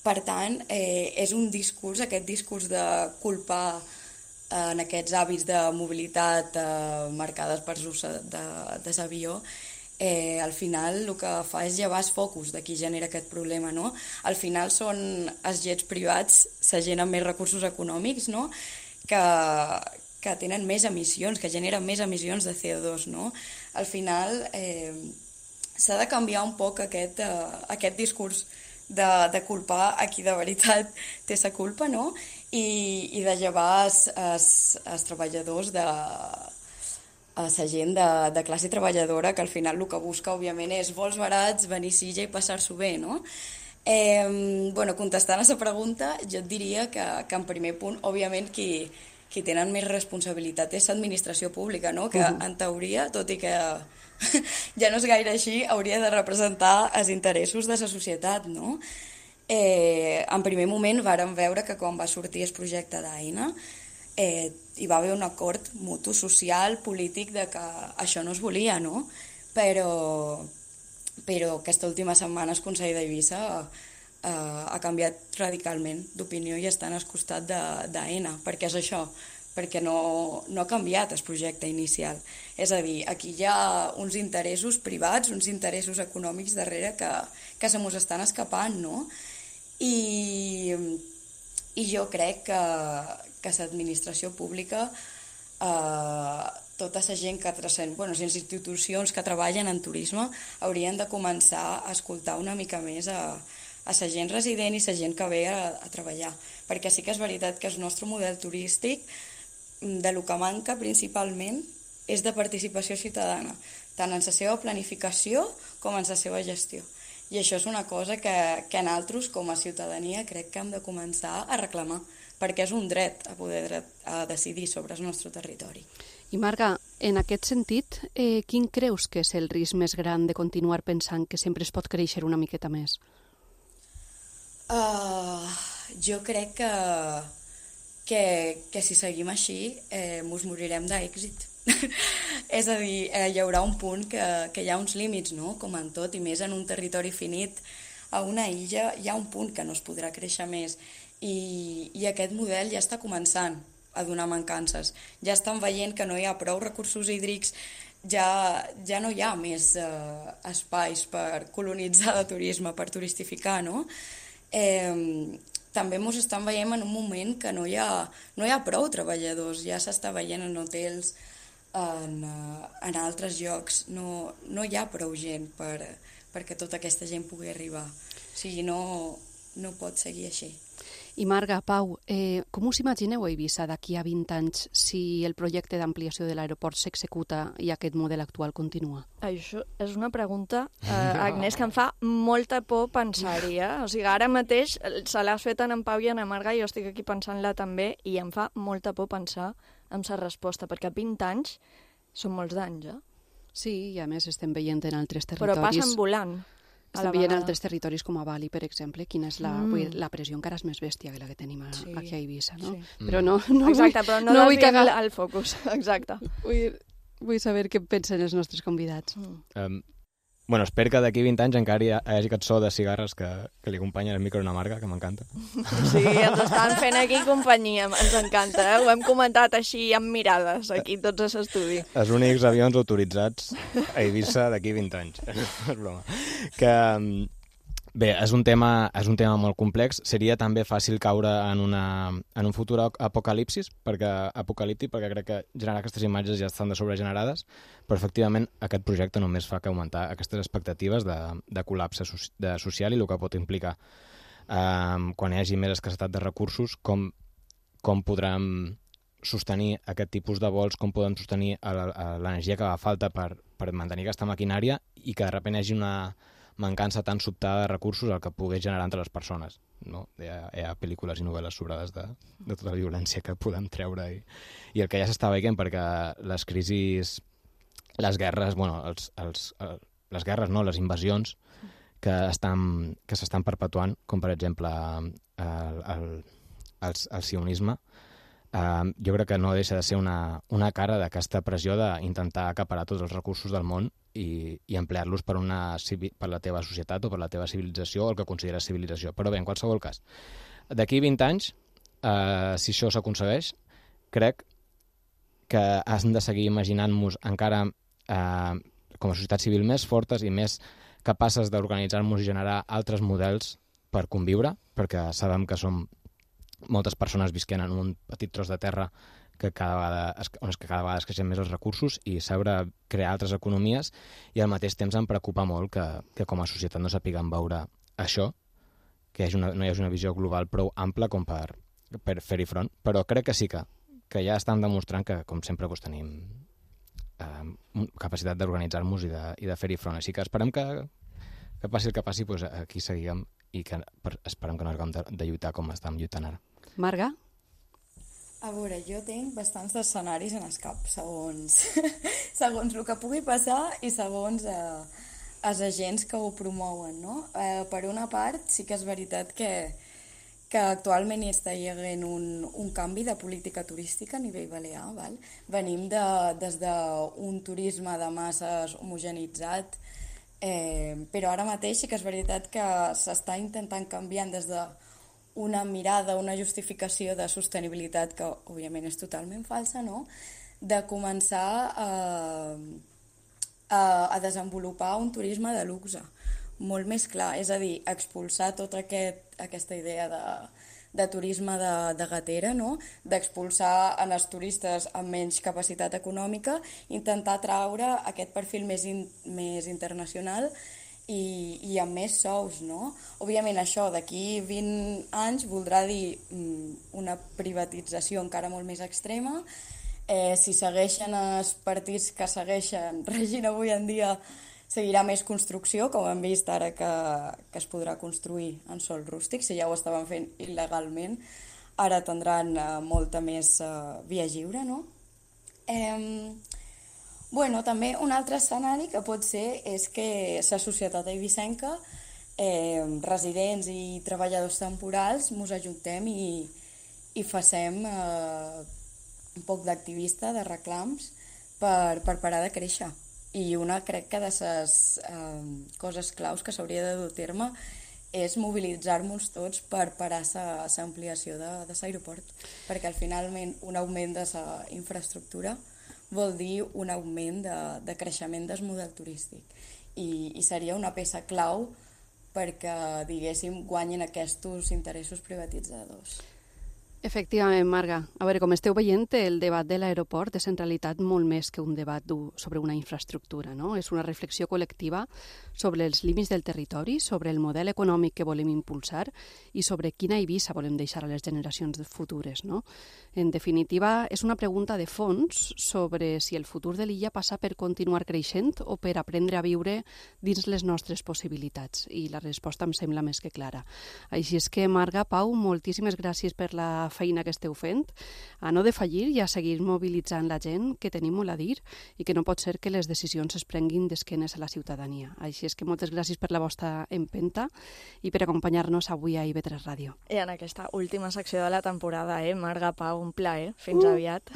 per tant, eh, és un discurs, aquest discurs de culpar eh, en aquests hàbits de mobilitat eh, marcades per l'ús de, de l'avió, Eh, al final el que fa és llevar els focus de qui genera aquest problema, no? Al final són els jets privats, la gent amb més recursos econòmics, no?, que, que tenen més emissions, que generen més emissions de C O dos, no? Al final eh, s'ha de canviar un poc aquest, eh, aquest discurs de, de culpar a qui de veritat té la culpa, no?, i, i de llevar els, els, els treballadors de a la gent de, de classe treballadora, que al final el que busca, òbviament, és vols barats, venir a Silla i passar-s'ho bé, no? Eh, bueno, contestant a la pregunta, jo et diria que, que en primer punt, òbviament, qui, qui tenen més responsabilitat és l'administració pública, no? Que en teoria, tot i que ja no és gaire així, hauria de representar els interessos de la societat, no? Eh, en primer moment vàrem veure que quan va sortir el projecte d'Aina, Eh, hi va haver un acord mutu social, polític, de que això no es volia, no? Però, però aquesta última setmana el Consell d'Eivissa eh, ha canviat radicalment d'opinió i estan al costat d'Aena. Per què és això? Perquè no, no ha canviat el projecte inicial. És a dir, aquí hi ha uns interessos privats, uns interessos econòmics darrere que, que se mos estan escapant, no? I, i jo crec que que l'administració pública, eh, tota la gent que transcend, bueno, les institucions que treballen en turisme haurien de començar a escoltar una mica més a, a la gent resident i la gent que ve a, a treballar. Perquè sí que és veritat que el nostre model turístic, de lo que manca principalment, és de participació ciutadana, tant en la seva planificació com en la seva gestió. I això és una cosa que, que nosaltres, com a ciutadania, crec que hem de començar a reclamar, perquè és un dret a poder dret a decidir sobre el nostre territori. I Marga, en aquest sentit, eh, quin creus que és el risc més gran de continuar pensant que sempre es pot créixer una miqueta més? Uh, jo crec que, que, que si seguim així eh, mos morirem d'èxit. És a dir, eh, hi haurà un punt que, que hi ha uns límits, no?, com en tot, i més en un territori finit, a una illa hi ha un punt que no es podrà créixer més. I, i aquest model ja està començant a donar mancances. Ja estan veient que no hi ha prou recursos hídrics, ja, ja no hi ha més eh, espais per colonitzar de turisme, per turistificar, no? Eh, també ens estan veient en un moment que no hi ha, no hi ha prou treballadors, ja s'està veient en hotels, en, en altres llocs, no, no hi ha prou gent per, perquè tota aquesta gent pugui arribar. O sigui, no, no pot seguir així. I Marga, Pau, eh, com us imagineu a Eivissa d'aquí a vint anys si el projecte d'ampliació de l'aeroport s'executa i aquest model actual continua? Això és una pregunta, eh, Agnès, que em fa molta por pensar-hi. Eh? O sigui, ara mateix se l'has fet en Pau i en Marga i jo estic aquí pensant-la també i em fa molta por pensar en la resposta, perquè vint anys són molts d'anys, eh? Sí, i a més estem veient en altres territoris... Però passen volant. Estem veient altres territoris com a Bali, per exemple, quina és la, mm. la pressió encara és més bèstia que la que tenim a, sí. aquí a Eivissa, no? Sí. Però no, no Exacte, vull, però no, no vull vull cagar el focus. Exacte. Vull, vull saber què pensen els nostres convidats. Mm. Um, bueno, espero que d'aquí vint anys encara hi hagi cançó de cigarres que, que li acompanyen el micro una Marga, que m'encanta. Sí, ens estan fent aquí companyia, ens encanta, eh? Ho hem comentat així amb mirades, aquí tots a l'estudi. Els únics avions autoritzats a Eivissa d'aquí vint anys. És broma. Que... Bé, és un tema, és un tema molt complex. Seria també fàcil caure en, una, en un futur apocalipsis, perquè, apocalíptic, perquè crec que generar aquestes imatges ja estan de sobregenerades, però efectivament aquest projecte només fa que augmentar aquestes expectatives de, de col·lapse so, de social i el que pot implicar. Um, quan hi hagi més escassetat de recursos, com, com podrem sostenir aquest tipus de vols, com podem sostenir l'energia que fa falta per, per mantenir aquesta maquinària i que de sobte hi hagi una mancança tan sobtada de recursos el que pogués generar entre les persones. No? Hi, ha, hi ha pel·lícules i novel·les sobrades de, de tota la violència que podem treure i, i el que ja s'està veient, perquè les crisis, les guerres, bueno, els, els, les guerres, no, les invasions que estan, que s'estan perpetuant, com per exemple el, el, el, el sionisme. Uh, jo crec que no deixa de ser una, una cara d'aquesta pressió d'intentar acaparar tots els recursos del món i, i emplear-los per, una, per la teva societat o per la teva civilització o el que consideres civilització. Però bé, en qualsevol cas, d'aquí vint anys, uh, si això s'aconsegueix, crec que hem de seguir imaginant-nos encara uh, com a societat civil més fortes i més capaces d'organitzar-nos i generar altres models per conviure, perquè sabem que som moltes persones visquent en un petit tros de terra que cada vegada, on és que cada vegada es creixen més els recursos i saber crear altres economies, i al mateix temps em preocupa molt que, que com a societat no sapiguem veure això, que és una, no hi hagi una visió global prou ampla com per, per fer-hi front, però crec que sí que, que ja estan demostrant que, com sempre, doncs, tenim eh, capacitat d'organitzar-nos i de, i de fer-hi front. Així que esperem que, que passi el que passi, doncs aquí seguim i que per, esperem que no haguem de, de lluitar com estem lluitant ara. Marga? A veure, jo tinc bastants escenaris en el cap, segons, segons el que pugui passar i segons eh, els agents que ho promouen, no? Eh, per una part, sí que és veritat que, que actualment hi està haguent un, un canvi de política turística a nivell balear, val? Venim de, des d'un turisme de masses homogenitzat, eh, però ara mateix sí que és veritat que s'està intentant canviar des de una mirada, una justificació de sostenibilitat que, òbviament, és totalment falsa, no? De començar a, a, a desenvolupar un turisme de luxe, molt més clar, és a dir, expulsar tota aquest, aquesta idea de, de turisme de, de gatera, no? D'expulsar en els turistes amb menys capacitat econòmica, intentar traure aquest perfil més, in, més internacional I, i amb més sous, no? Òbviament això d'aquí vint anys voldrà dir mm, una privatització encara molt més extrema. Eh, si segueixen els partits que segueixen regint avui en dia, seguirà més construcció, com hem vist ara que, que es podrà construir en sòl rústic, si ja ho estaven fent il·legalment, ara tindran eh, molta més eh, via lliure, no? Eh, Bueno, també un altre escenari que pot ser és que la societat eivissenca, eh, residents i treballadors temporals, ens ajuntem i, i facem eh, un poc d'activista, de reclams, per, per parar de créixer. I una, crec que de les eh, coses claus que s'hauria de dur a terme és mobilitzar-nos tots per parar l'ampliació de, de l'aeroport, perquè al finalment un augment de la infraestructura vol dir un augment de, de creixement del model turístic I, i seria una peça clau perquè, diguéssim, guanyin aquests interessos privatitzadors. Efectivament, Marga. A veure, com esteu veient, el debat de l'aeroport és en realitat molt més que un debat sobre una infraestructura, no? És una reflexió col·lectiva sobre els límits del territori, sobre el model econòmic que volem impulsar i sobre quina Eivissa volem deixar a les generacions futures, no? En definitiva, és una pregunta de fons sobre si el futur de l'illa passa per continuar creixent o per aprendre a viure dins les nostres possibilitats. I la resposta em sembla més que clara. Així és que, Marga, Pau, moltíssimes gràcies per la feina que esteu fent, a no defallir i a seguir mobilitzant la gent, que tenim molt a dir i que no pot ser que les decisions es prenguin d'esquenes a la ciutadania. Així és que moltes gràcies per la vostra empenta i per acompanyar-nos avui a I V tres Ràdio. I en aquesta última secció de la temporada, eh, Marga, Pau, un plaer. Fins uh. aviat.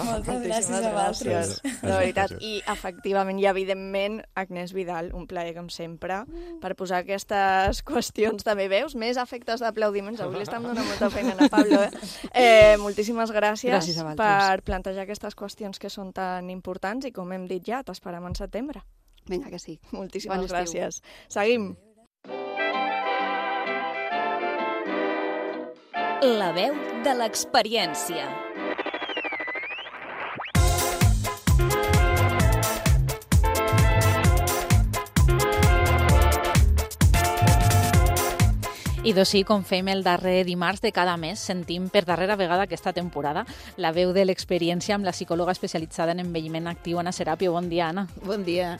Moltes gràcies a vosaltres. De veritat. I efectivament i evidentment Agnès Vidal, un plaer com sempre, per posar aquestes qüestions també veus, més efectes d'aplaudiments. Avui li estem donant molta feina a Pablo. Eh? Eh, moltíssimes gràcies, gràcies per plantejar aquestes qüestions que són tan importants i, com hem dit ja, t'esperem en setembre. Vinga, que sí. Moltíssimes bon gràcies. Seguim. La veu de l'experiència. I doncs sí, com fem el darrer dimarts de cada mes, sentim per darrera vegada aquesta temporada la veu de l'experiència amb la psicòloga especialitzada en envelliment actiu, Anna Serapio. Bon dia, Anna. Bon dia.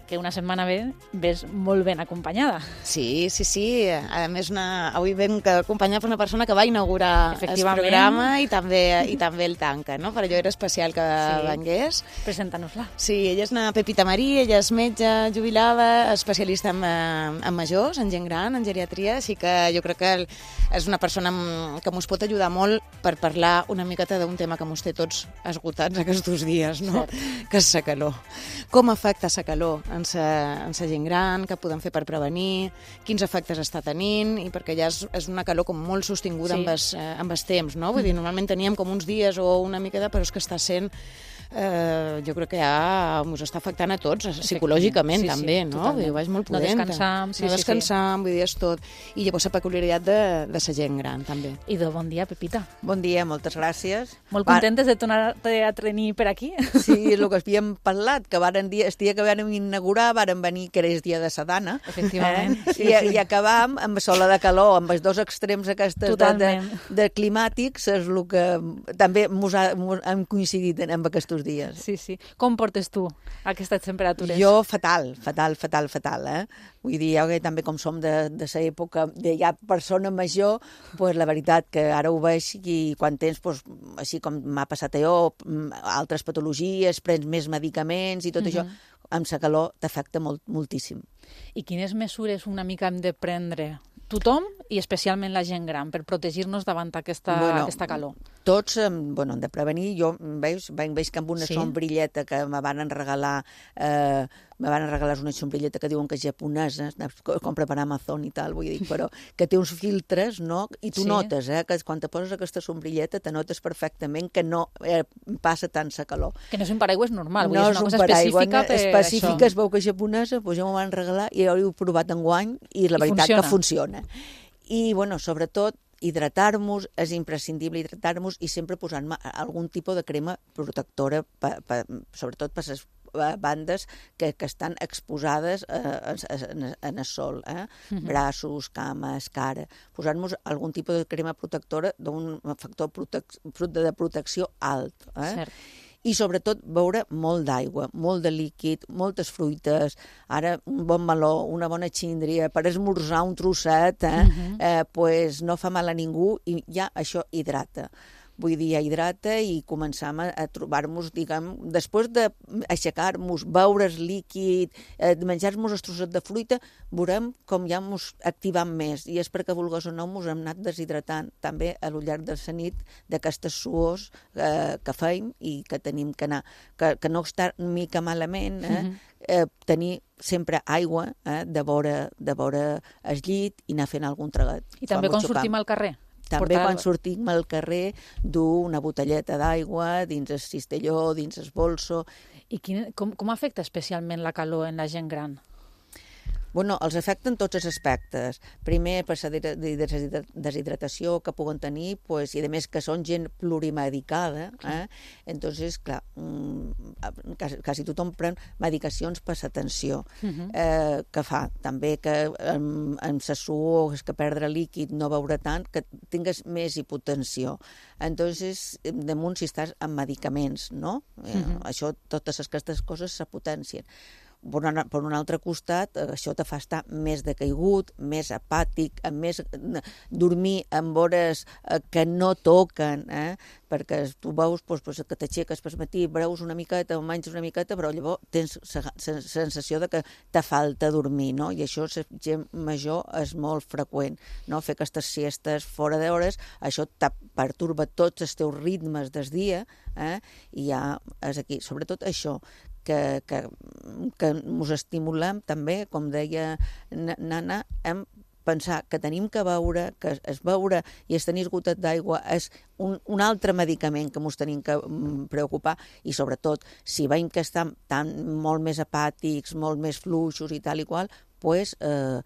Que una setmana bé ves molt ben acompanyada. Sí, sí, sí. A més, una... avui vam acompanyar per una persona que va inaugurar el programa i també, i també el tanca, no? Per allò era especial que sí. vengués. Presenta-nos-la. Sí, ella és una Pepita Marí, ella és metge jubilada, especialista en, en majors, en gent gran, en geriatria, així que jo crec que és una persona que ens pot ajudar molt per parlar una miqueta d'un tema que ens té tots esgotats aquests dies, no? Cert. Que és la calor. Com afecta la calor en la gent gran, què podem fer per prevenir, quins efectes està tenint, i perquè ja és, és una calor com molt sostinguda sí. amb, els, amb els temps, no? Vull dir, normalment teníem com uns dies o una miqueta, però és que està sent Eh, jo crec que ja ens està afectant a tots, psicològicament sí, també, sí, no? Vull dir, és molt pudenta. No descansam, sí, no descansam, sí, sí. vull dir, és tot. I llavors la peculiaritat de, de la gent gran, també. I de bon dia, Pepita. Bon dia, moltes gràcies. Molt contentes de tornar-te a tenir per aquí. Sí, és el que havíem parlat, que varen dir, el dia que vam inaugurar varen venir, que era el dia de sa dana. Efectivament. Eh? Sí, I, sí. I acabam amb sola de calor, amb els dos extrems aquestes de, de, de climàtics, és el que també mos ha, mos hem coincidit amb aquests dies. Sí, sí. Com portes tu aquestes temperatures? Jo fatal, fatal, fatal, fatal, eh? Vull dir, jo que també com som de, de la època de ja persona major, pues la veritat que ara ho veig i quan tens, pues, així com m'ha passat a jo, altres patologies, prens més medicaments i tot uh-huh. això, amb la calor t'afecta molt, moltíssim. I quines mesures una mica hem de prendre tothom i especialment la gent gran per protegir-nos davant aquesta, bueno, aquesta calor? Tots, bueno, hem de prevenir. Jo veus, veig que amb una sí? sombrilleta que me van regalar, eh, me van regalar una sombrilleta que diuen que és japonesa, compra per Amazon i tal, vull dir, però que té uns filtres, no? I tu sí. notes, eh, que quan te poses aquesta sombrilleta te notes perfectament que no eh, passa tant sa calor. Que no és un paraigua normal, vull no dir, és una cosa específica per específica, això. Es veu que és japonesa, doncs ja m'ho van regalar i jo ho he provat enguany i la I veritat funciona. que funciona. I, bueno, sobretot, hidratar-nos, és imprescindible hidratar-nos i sempre posant algun tipus de crema protectora, pa, pa, sobretot per les bandes que, que estan exposades eh, en, en el sol, eh? Uh-huh. Braços, cames, cara. Posar-nos algun tipus de crema protectora d'un factor protec de protecció alt. Eh? Cert. I sobretot beure molt d'aigua, molt de líquid, moltes fruites, ara un bon meló, una bona xíndria, per esmorzar un trosset, eh? Uh-huh. eh, pues no fa mal a ningú i ja això hidrata. Vull dir, hidrata i començam a, a trobar-nos, diguem, després d'aixecar-nos, beure's líquid, eh, menjar-nos el trosset de fruita, veurem com ja ens activem més. I és perquè, vulgues o no, ens hem anat deshidratant també a lo llarg de la nit d'aquestes suors eh, que feim i que tenim que anar. Que, que no està mica malament, eh? Uh-huh. eh, tenir sempre aigua eh, de vora, de vora el llit i anar fent algun traguet. I també quan sortim al carrer? També portar... quan sortim al carrer dur una botelleta d'aigua dins el cistelló, dins el bolso. I quin, com, com afecta especialment la calor en la gent gran? Bueno, els afecten tots els aspectes. Primer, per la deshidratació que puguen tenir, pues, i a més que són gent plurimedicada, eh? Entonces, clar, quasi, quasi tothom pren medicacions per la tensió. Uh-huh. eh, que fa també que amb, amb la suor, que perdre líquid, no beure tant, que tingues més hipotensió. Entonces, damunt si estàs amb medicaments, no? Uh-huh. eh, això, totes aquestes coses se potencien. Per un, per un altre costat, això te fa estar més decaigut, més apàtic, amb més dormir amb hores que no toquen, eh? Perquè tu veus doncs, doncs, que t'aixeques per matí, breus una miqueta, menys una miqueta, però llavors tens la sensació de que te falta dormir, no? I això, la gent major, és molt freqüent, no? Fer aquestes siestes fora d'hores, això te perturba tots els teus ritmes del dia, eh? I ja és aquí. Sobretot això, que, que, que ens estimulem també, com deia Nana, en pensar que tenim que beure, que es beure i es tenir esgotat d'aigua és un, un altre medicament que ens tenim que preocupar i sobretot si veiem que estan tan, molt més apàtics, molt més fluixos i tal i qual, pues, eh,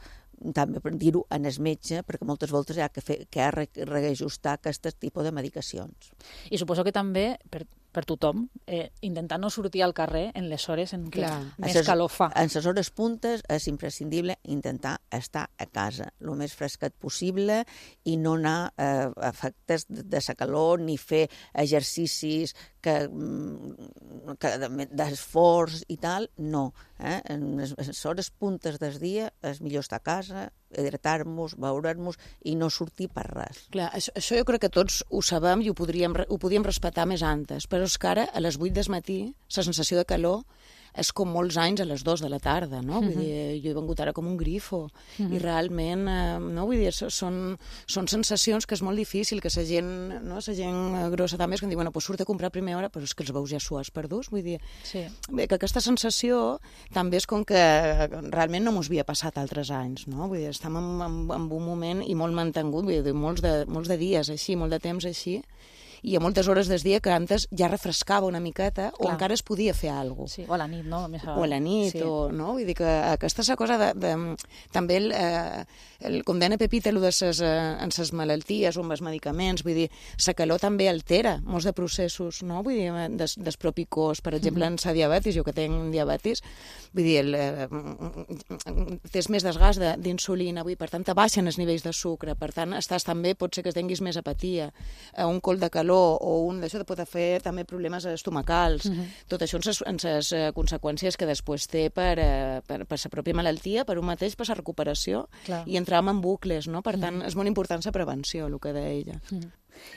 també per dir-ho en el metge, perquè moltes voltes hi ha que, fer, que ha de reajustar aquest tipus de medicacions. I suposo que també per, per tothom, eh, intentar no sortir al carrer en les hores en què Clar. més ses, calor fa. En les hores puntes és imprescindible intentar estar a casa el més fresquet possible i no anar a eh, efectes de, de la calor ni fer exercicis que, que d'esforç i tal, no. Eh? En les, les hores puntes del dia és millor estar a casa, hidratar-nos, veure'ns i no sortir per res. Clar, això, això jo crec que tots ho sabem i ho podríem, ho podíem respectar més antes, però és que ara, a les vuit del matí, la sensació de calor és com molts anys a les dues de la tarda, no? Vull dir, jo he vengut ara com un grifo Mhm. i realment, eh, no? Vull dir, són, són sensacions que és molt difícil, que la gent, no? La gent grossa també és que em diu, bueno, pues surt a comprar a primera hora, però és que els veus ja suats perdus, vull dir, Sí. bé, que aquesta sensació també és com que realment no mos havia passat altres anys, no? Vull dir, estem en, en, en un moment i molt mantengut, vull dir, molts de, molts de dies així, molt de temps així, i a moltes hores del dia que antes ja refrescava una miqueta o Clar. encara es podia fer alguna cosa. Sí, o a la nit, no? Més a... O a la nit, sí. o, no? Vull dir que aquesta és la cosa de... de també, el, eh, el, com deia Pepita, allò de ses, eh, en ses malalties o amb els medicaments, vull dir, la calor també altera molts de processos, no? Vull dir, des, des propi cos, per exemple, en la diabetis, jo que tinc diabetis, vull dir, el, eh, tens més desgast de- d'insulina, vull dir, per tant, te baixen els nivells de sucre, per tant, estàs també, pot ser que tinguis més apatia, eh, un col de calor o un d'això te pot fer també problemes estomacals. Mhm. Tot això en ses, en ses eh, conseqüències que després té per, eh, per, per la pròpia malaltia, per un mateix, per la recuperació, Clar. i entrar en bucles, no? Per tant, Mhm. és molt important la prevenció, el que deia ella. Mhm.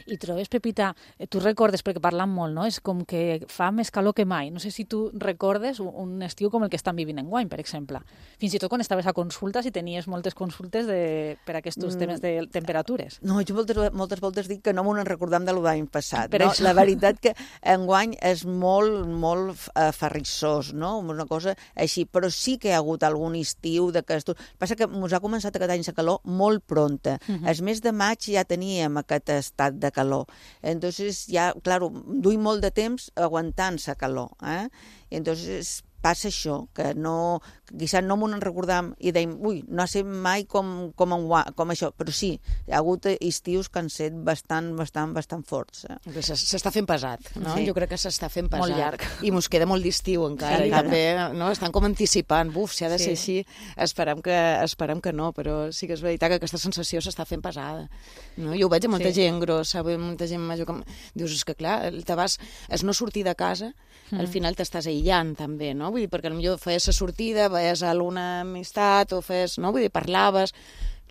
I trobes, Pepita, eh, tu recordes, perquè parlant molt, no? És com que fa més calor que mai. No sé si tu recordes un- un estiu com el que estan vivint enguany, per exemple. Fins i tot quan estaves a consultes i tenies moltes consultes de, per aquests Mm. temes de temperatures. No, jo moltes, moltes voltes dic que no m'ho recordam de l'any passat. Per No? això. La veritat que enguany és molt, molt eh, ferrissós, no? Una cosa així, però sí que hi ha hagut algun estiu d'aquestos. Passa que ens ha començat aquest any la calor molt pronta. Mhm. El mes de maig ja teníem aquest estat de calor. Entonces ja, claro, duim molt de temps aguantant la calor, eh? I entonces passa això, que no, quizás no m'ho en recordam i dèiem, ui, no ha set mai com, com, enguany, com això, però sí, hi ha hagut estius que han set bastant, bastant, bastant forts. Eh? Que s- s'està fent pesat, no? Sí. Jo crec que s'està fent pesat. Molt llarg. I mos queda molt d'estiu encara. Sí, I encara. també, no? Estan com anticipant. Buf, si ha de Sí. ser així, esperem que, esperem que no, però sí que és veritat que aquesta sensació s'està fent pesada. No? Jo ho veig a molta Sí. gent grossa, veig molta gent major que... Dius, és que clar, el te vas, és no sortir de casa, al Mm. final t'estàs aïllant també, no? Vull dir, perquè potser feies la sortida, veies alguna amistat o feies, no? Vull dir, parlaves...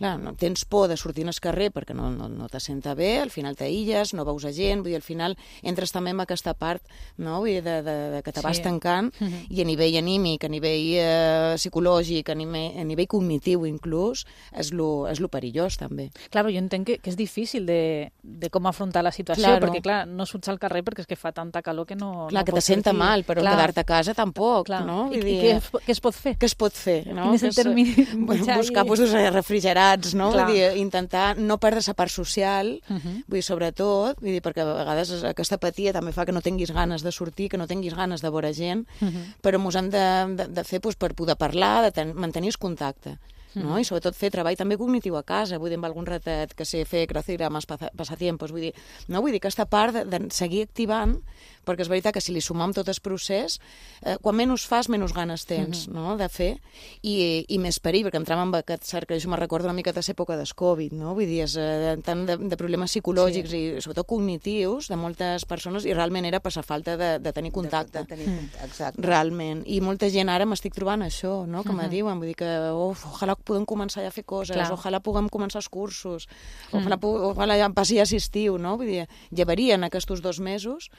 Clar, no tens por de sortir al carrer perquè no, no, no te senta bé, al final t'aïlles, no veus a gent, vull dir, al final entres també en aquesta part, no? Vull dir, de, de, de que te vas Sí. tancant, Mhm. i a nivell anímic, a nivell eh, psicològic, a nivell, a nivell cognitiu inclús, és lo, és lo perillós també. Claro, jo entenc que, que és difícil de, de com afrontar la situació, Claro. perquè, clar, no surts al carrer perquè és que fa tanta calor que no... Clar, no que te pots senta sortir. mal, però Clar. quedar-te a casa tampoc, Clar. no? I, Vull i dir, què, es, què es pot fer? Què es pot fer? No? Quin és el Que termini? Bueno, mitjà buscar i- pues, refrigerats, no? Clar. Vull dir, intentar no perdre la part social, Uh -huh. vull dir, sobretot, vull dir, perquè a vegades aquesta apatia també fa que no tinguis ganes de sortir, que no tinguis ganes de veure gent, Uh -huh. però mos hem de, de, de fer pues, per poder parlar, de ten, mantenir el contacte. No? Mhm. I sobretot fer treball també cognitiu a casa, vull dir, amb algun ratet que sé fer crucigrames, passatiempos, vull dir, no? Vull dir, aquesta part de, de seguir activant, perquè és veritat que si li sumam tot el procés, eh, quan menys fas, menys ganes tens, Mhm. no?, de fer, i, i més perill, perquè entram en aquest cercle, jo me recordo una mica de l'època del Covid, no? Vull dir, és, eh, tant de, de problemes psicològics Sí. i sobretot cognitius de moltes persones, i realment era per la falta de, de tenir contacte. De, de tenir contacte, exacte. Realment. I molta gent ara m'estic trobant això, no?, que me Mhm. diuen, vull dir que, uf, ojalà podem començar ja a fer coses, Clar. ojalà puguem començar els cursos, Mm. ojalà, pu- ojalà ja passi ja estiu, no? Vull dir, llevarien aquests dos mesos.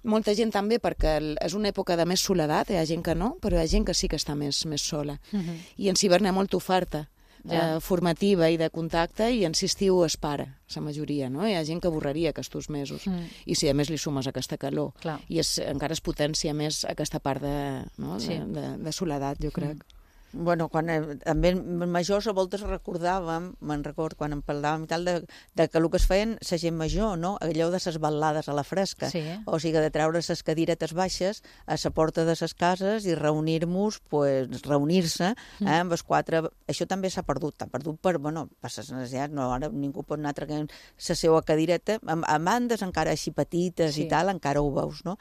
Molta gent també, perquè el, és una època de més soledat, hi ha gent que no, però hi ha gent que sí que està més, més sola. Mhm. I en Cibern hi ha molta oferta Ja. eh, formativa i de contacte, i en si estiu es para, la majoria, no? Hi ha gent que avorreria aquests mesos. Mm. I si a més li sumes aquesta calor, Clar. i és, encara es potencia més aquesta part de, no? Sí. de, de, de soledat, jo crec. Bueno, quan eh, també majors a voltes recordàvem, me'n record, quan en parlàvem i tal, de, de que el que es feien la gent major, no? Allò de les balades a la fresca. Sí. O sigui, de treure les cadiretes baixes a la porta de les cases i reunir-nos, pues, reunir-se eh, amb els quatre. Això també s'ha perdut, s'ha perdut per, bueno, per les necessitats, no, ara ningú pot anar traient la seva cadireta, a, a bandes encara així petites Sí. i tal, encara ho veus, no?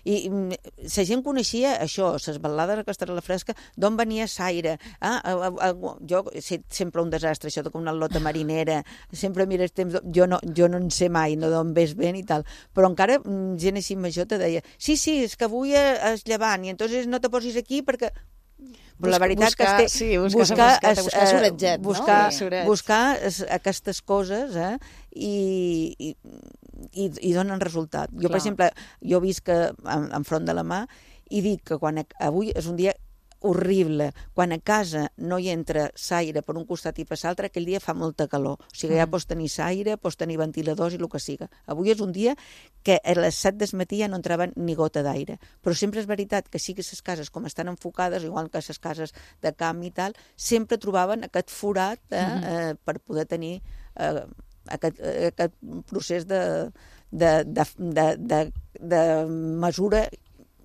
I la gent coneixia això, les balades aquestes a la fresca, d'on venia l'aire. Ah, a, a, a, jo, sempre un desastre, això de com una lota marinera, sempre mires temps, jo no, jo no en sé mai, no d'on ves ben i tal, però encara gent així major te deia, sí, sí, és que avui és llevant, i entonces no te posis aquí perquè... Però la veritat buscar, que sí, buscar, buscar, es, buscar soretget, buscar, no? Sí. buscar es, aquestes coses eh, i, i, i, i donen resultat. Jo, Clar. per exemple, jo visc que en, enfront de la mà i dic que quan avui és un dia horrible. Quan a casa no hi entra l'aire per un costat i per l'altre, aquell dia fa molta calor. O sigui, ja pots tenir l'aire, pots tenir ventiladors i el que siga. Avui és un dia que a les set del matí ja no entrava ni gota d'aire. Però sempre és veritat que sí que les cases, com estan enfocades, igual que les cases de camp i tal, sempre trobaven aquest forat eh, eh, per poder tenir eh, aquest, aquest procés de, de, de, de, de, de mesura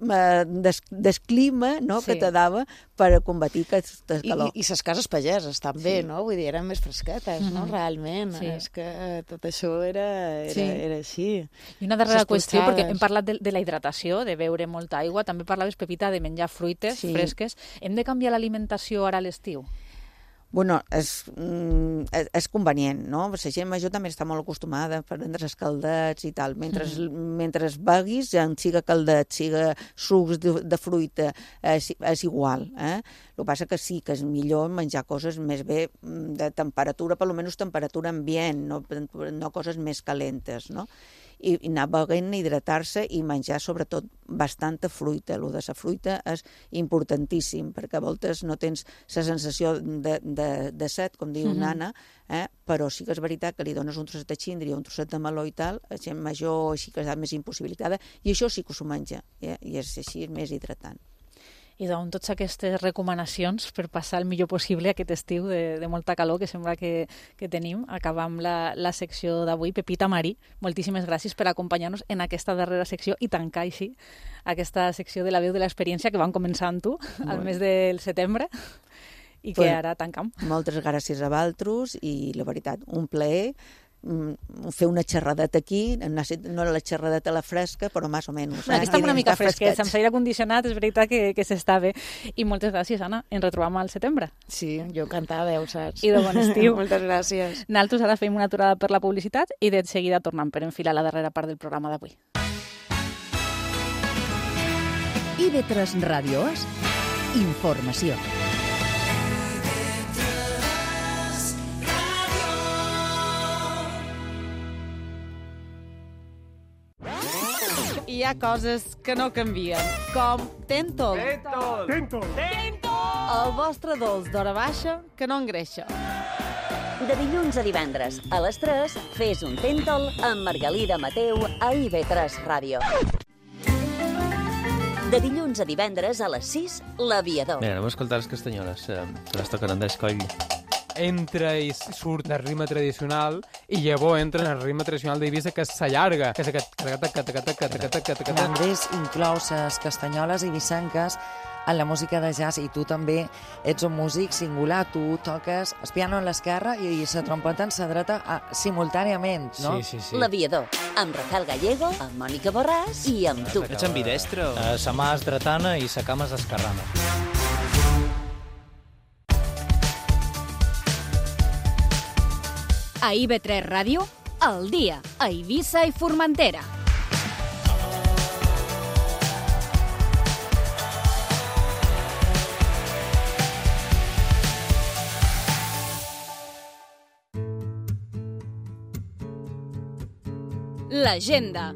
des, des clima no, Sí. que te dava per combatir aquesta calor. I, i les cases pageses també, Sí. no? Vull dir, eren més fresquetes, no? Mhm. Realment. Sí. És que tot això era, era, Sí. era així. I una darrera Les qüestió, perquè polsades. hem parlat de, de la hidratació, de beure molta aigua, també parlaves, Pepita, de menjar fruites Sí. fresques. Hem de canviar l'alimentació ara a l'estiu? Bueno, és, mm, és, és convenient, no? La gent major també està molt acostumada a prendre els caldets i tal. Mentre, Mhm. mentre beguis, ja siga caldet, siga sucs de, de fruita, és, és igual. Eh? El que passa que sí, que és millor menjar coses més bé mm, de temperatura, per almenys temperatura ambient, no, no coses més calentes, no? I, i anar beguent, hidratar-se i menjar sobretot bastanta fruita. El de la fruita és importantíssim perquè a voltes no tens la sensació de, de, de set, com diu Mhm. Nana, eh? Però sí que és veritat que li dones un trosset de xíndria, un trosset de meló i tal, la gent major així que està més impossibilitada, i això sí que s'ho menja, eh? I és així, és més hidratant. I doncs totes aquestes recomanacions per passar el millor possible aquest estiu de, de molta calor que sembla que, que tenim. Acabam la, la secció d'avui. Pepita Marí, moltíssimes gràcies per acompanyar-nos en aquesta darrera secció i tancar així aquesta secció de la veu de l'experiència que vam començar amb tu al mes del setembre i que Pues, ara tancam. Moltes gràcies a vosaltres i la veritat, un plaer mm, fer una xerradeta aquí, no la xerradeta a la fresca, però més o menys. Aquí estem una mica fresquets, amb l'aire condicionat, és veritat que, que s'està bé. I moltes gràcies, Anna. Ens retrobam al setembre. Sí, jo encantada, ja ho saps. I de bon estiu. Moltes gràcies. Nosaltres ara fem una aturada per la publicitat i de seguida tornem per enfilar la darrera part del programa d'avui. I ve tres Ràdio És, informació. Hi ha coses que no canvien, com Tentol. Tentol! Tentol! El vostre dolç d'hora baixa que no engreixa. De dilluns a divendres, a les tres, fes un Tentol amb Margalida Mateu a I V tres Ràdio. De dilluns a divendres a les sis, L'Aviador. Mira, anem a escoltar les castanyoles, eh, que les toquen Andrés Coll. Entra i surt el ritme tradicional i llavors entra en el ritme tradicional d'Eivissa que s'allarga, que és aquest... L'Andrés inclou les castanyoles ibicenques en la música de jazz i tu també ets un músic singular, tu toques el piano a l'esquerra i la trompeta en la dreta a, simultàniament, no? Sí, sí, sí. L'Aviador, amb Rafael Gallego, amb Mònica Borràs i amb tu. Ets ambidestro? Uh, sa mà és dretana i sa cama és esquerrana. A I V tres Ràdio, al dia, a Eivissa i Formentera. L'agenda.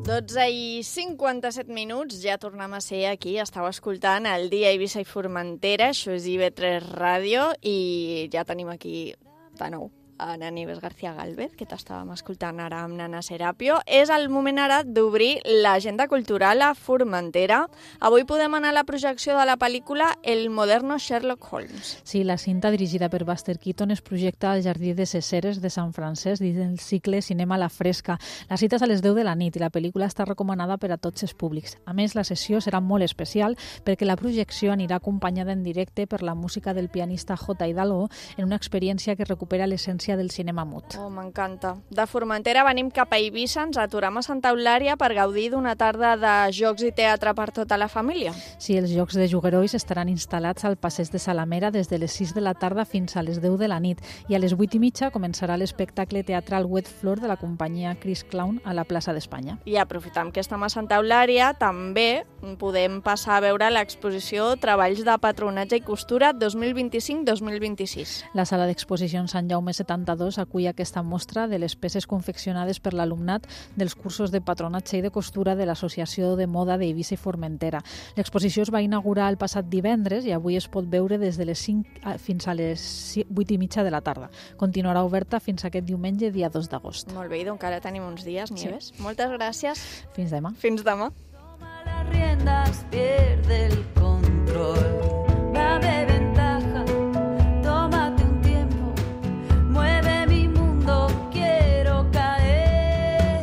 dotze i cinquanta-set minuts, ja tornem a ser aquí. Estau escoltant el dia Eivissa i Formentera, això és I V tres Ràdio, i ja tenim aquí de nou Ana Nieves García Galvez, que t'estàvem escoltant ara amb Nana Serapio. És el moment ara d'obrir l'agenda cultural a Formentera. Avui podem anar a la projecció de la pel·lícula El moderno Sherlock Holmes. Sí, la cinta dirigida per Buster Keaton es projecta al Jardí de ses Ceres de Sant Francesc dins el cicle Cinema a la Fresca. La cita és a les deu de la nit i la pel·lícula està recomanada per a tots els públics. A més, la sessió serà molt especial perquè la projecció anirà acompanyada en directe per la música del pianista J. Hidalgo en una experiència que recupera l'essència del cinema mut. Oh, m'encanta. De Formentera venim cap a Eivissa, ens aturem a Santa Eulària per gaudir d'una tarda de jocs i teatre per tota la família. Sí, els jocs de juguerois estaran instal·lats al passeig de Salamera des de les sis de la tarda fins a les deu de la nit i a les vuit i mitja començarà l'espectacle teatral Wet Floor de la companyia Chris Clown a la plaça d'Espanya. I aprofitant que estem a Santa Eulària, també podem passar a veure l'exposició Treballs de Patronatge i Costura dos mil vint-i-cinc dos mil vint-i-sis. La sala d'exposicions Sant Jaume setanta-dos acull aquesta mostra de les peces confeccionades per l'alumnat dels cursos de patronatge i de costura de l'Associació de Moda d'Eivissa i Formentera. L'exposició es va inaugurar el passat divendres i avui es pot veure des de les cinc fins a les vuit i mitja de la tarda. Continuarà oberta fins aquest diumenge, dia dos d'agost. Molt bé, i encara tenim uns dies, Nieves. Sí. Moltes gràcies. Fins demà. Fins demà. Las riendas pierde el control, va de ventaja, tómate un tiempo, mueve mi mundo, quiero caer,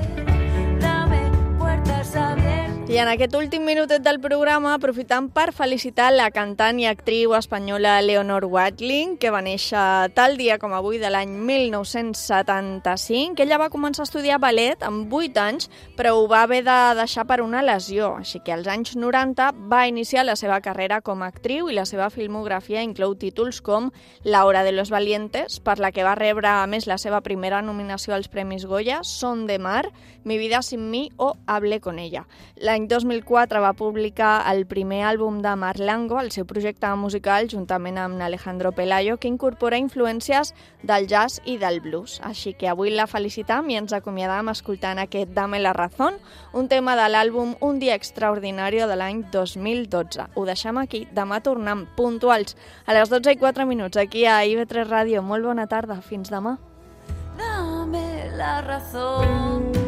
dame puertas abiertas. I en aquest últim minutet del programa aprofitam per felicitar la cantant i actriu espanyola Leonor Watling, que va néixer tal dia com avui de l'any mil nou-cents setanta-cinc. Ella va començar a estudiar ballet amb vuit anys, però ho va haver de deixar per una lesió, així que als anys noranta va iniciar la seva carrera com a actriu i la seva filmografia inclou títols com La hora de los valientes, per la que va rebre a més la seva primera nominació als Premis Goya, Son de mar, Mi vida sin mí o Hable con ella. L'any dos mil quatre va publicar el primer àlbum de Marlango, el seu projecte musical, juntament amb Alejandro Pelayo, que incorpora influències del jazz i del blues. Així que avui la felicitam i ens acomiadam escoltant aquest Dame la razón, un tema de l'àlbum Un dia extraordinario de l'any dos mil dotze. Ho deixem aquí, demà tornem puntuals a les dotze i quatre minuts aquí a I V tres Ràdio. Molt bona tarda, fins demà. Dame la razón.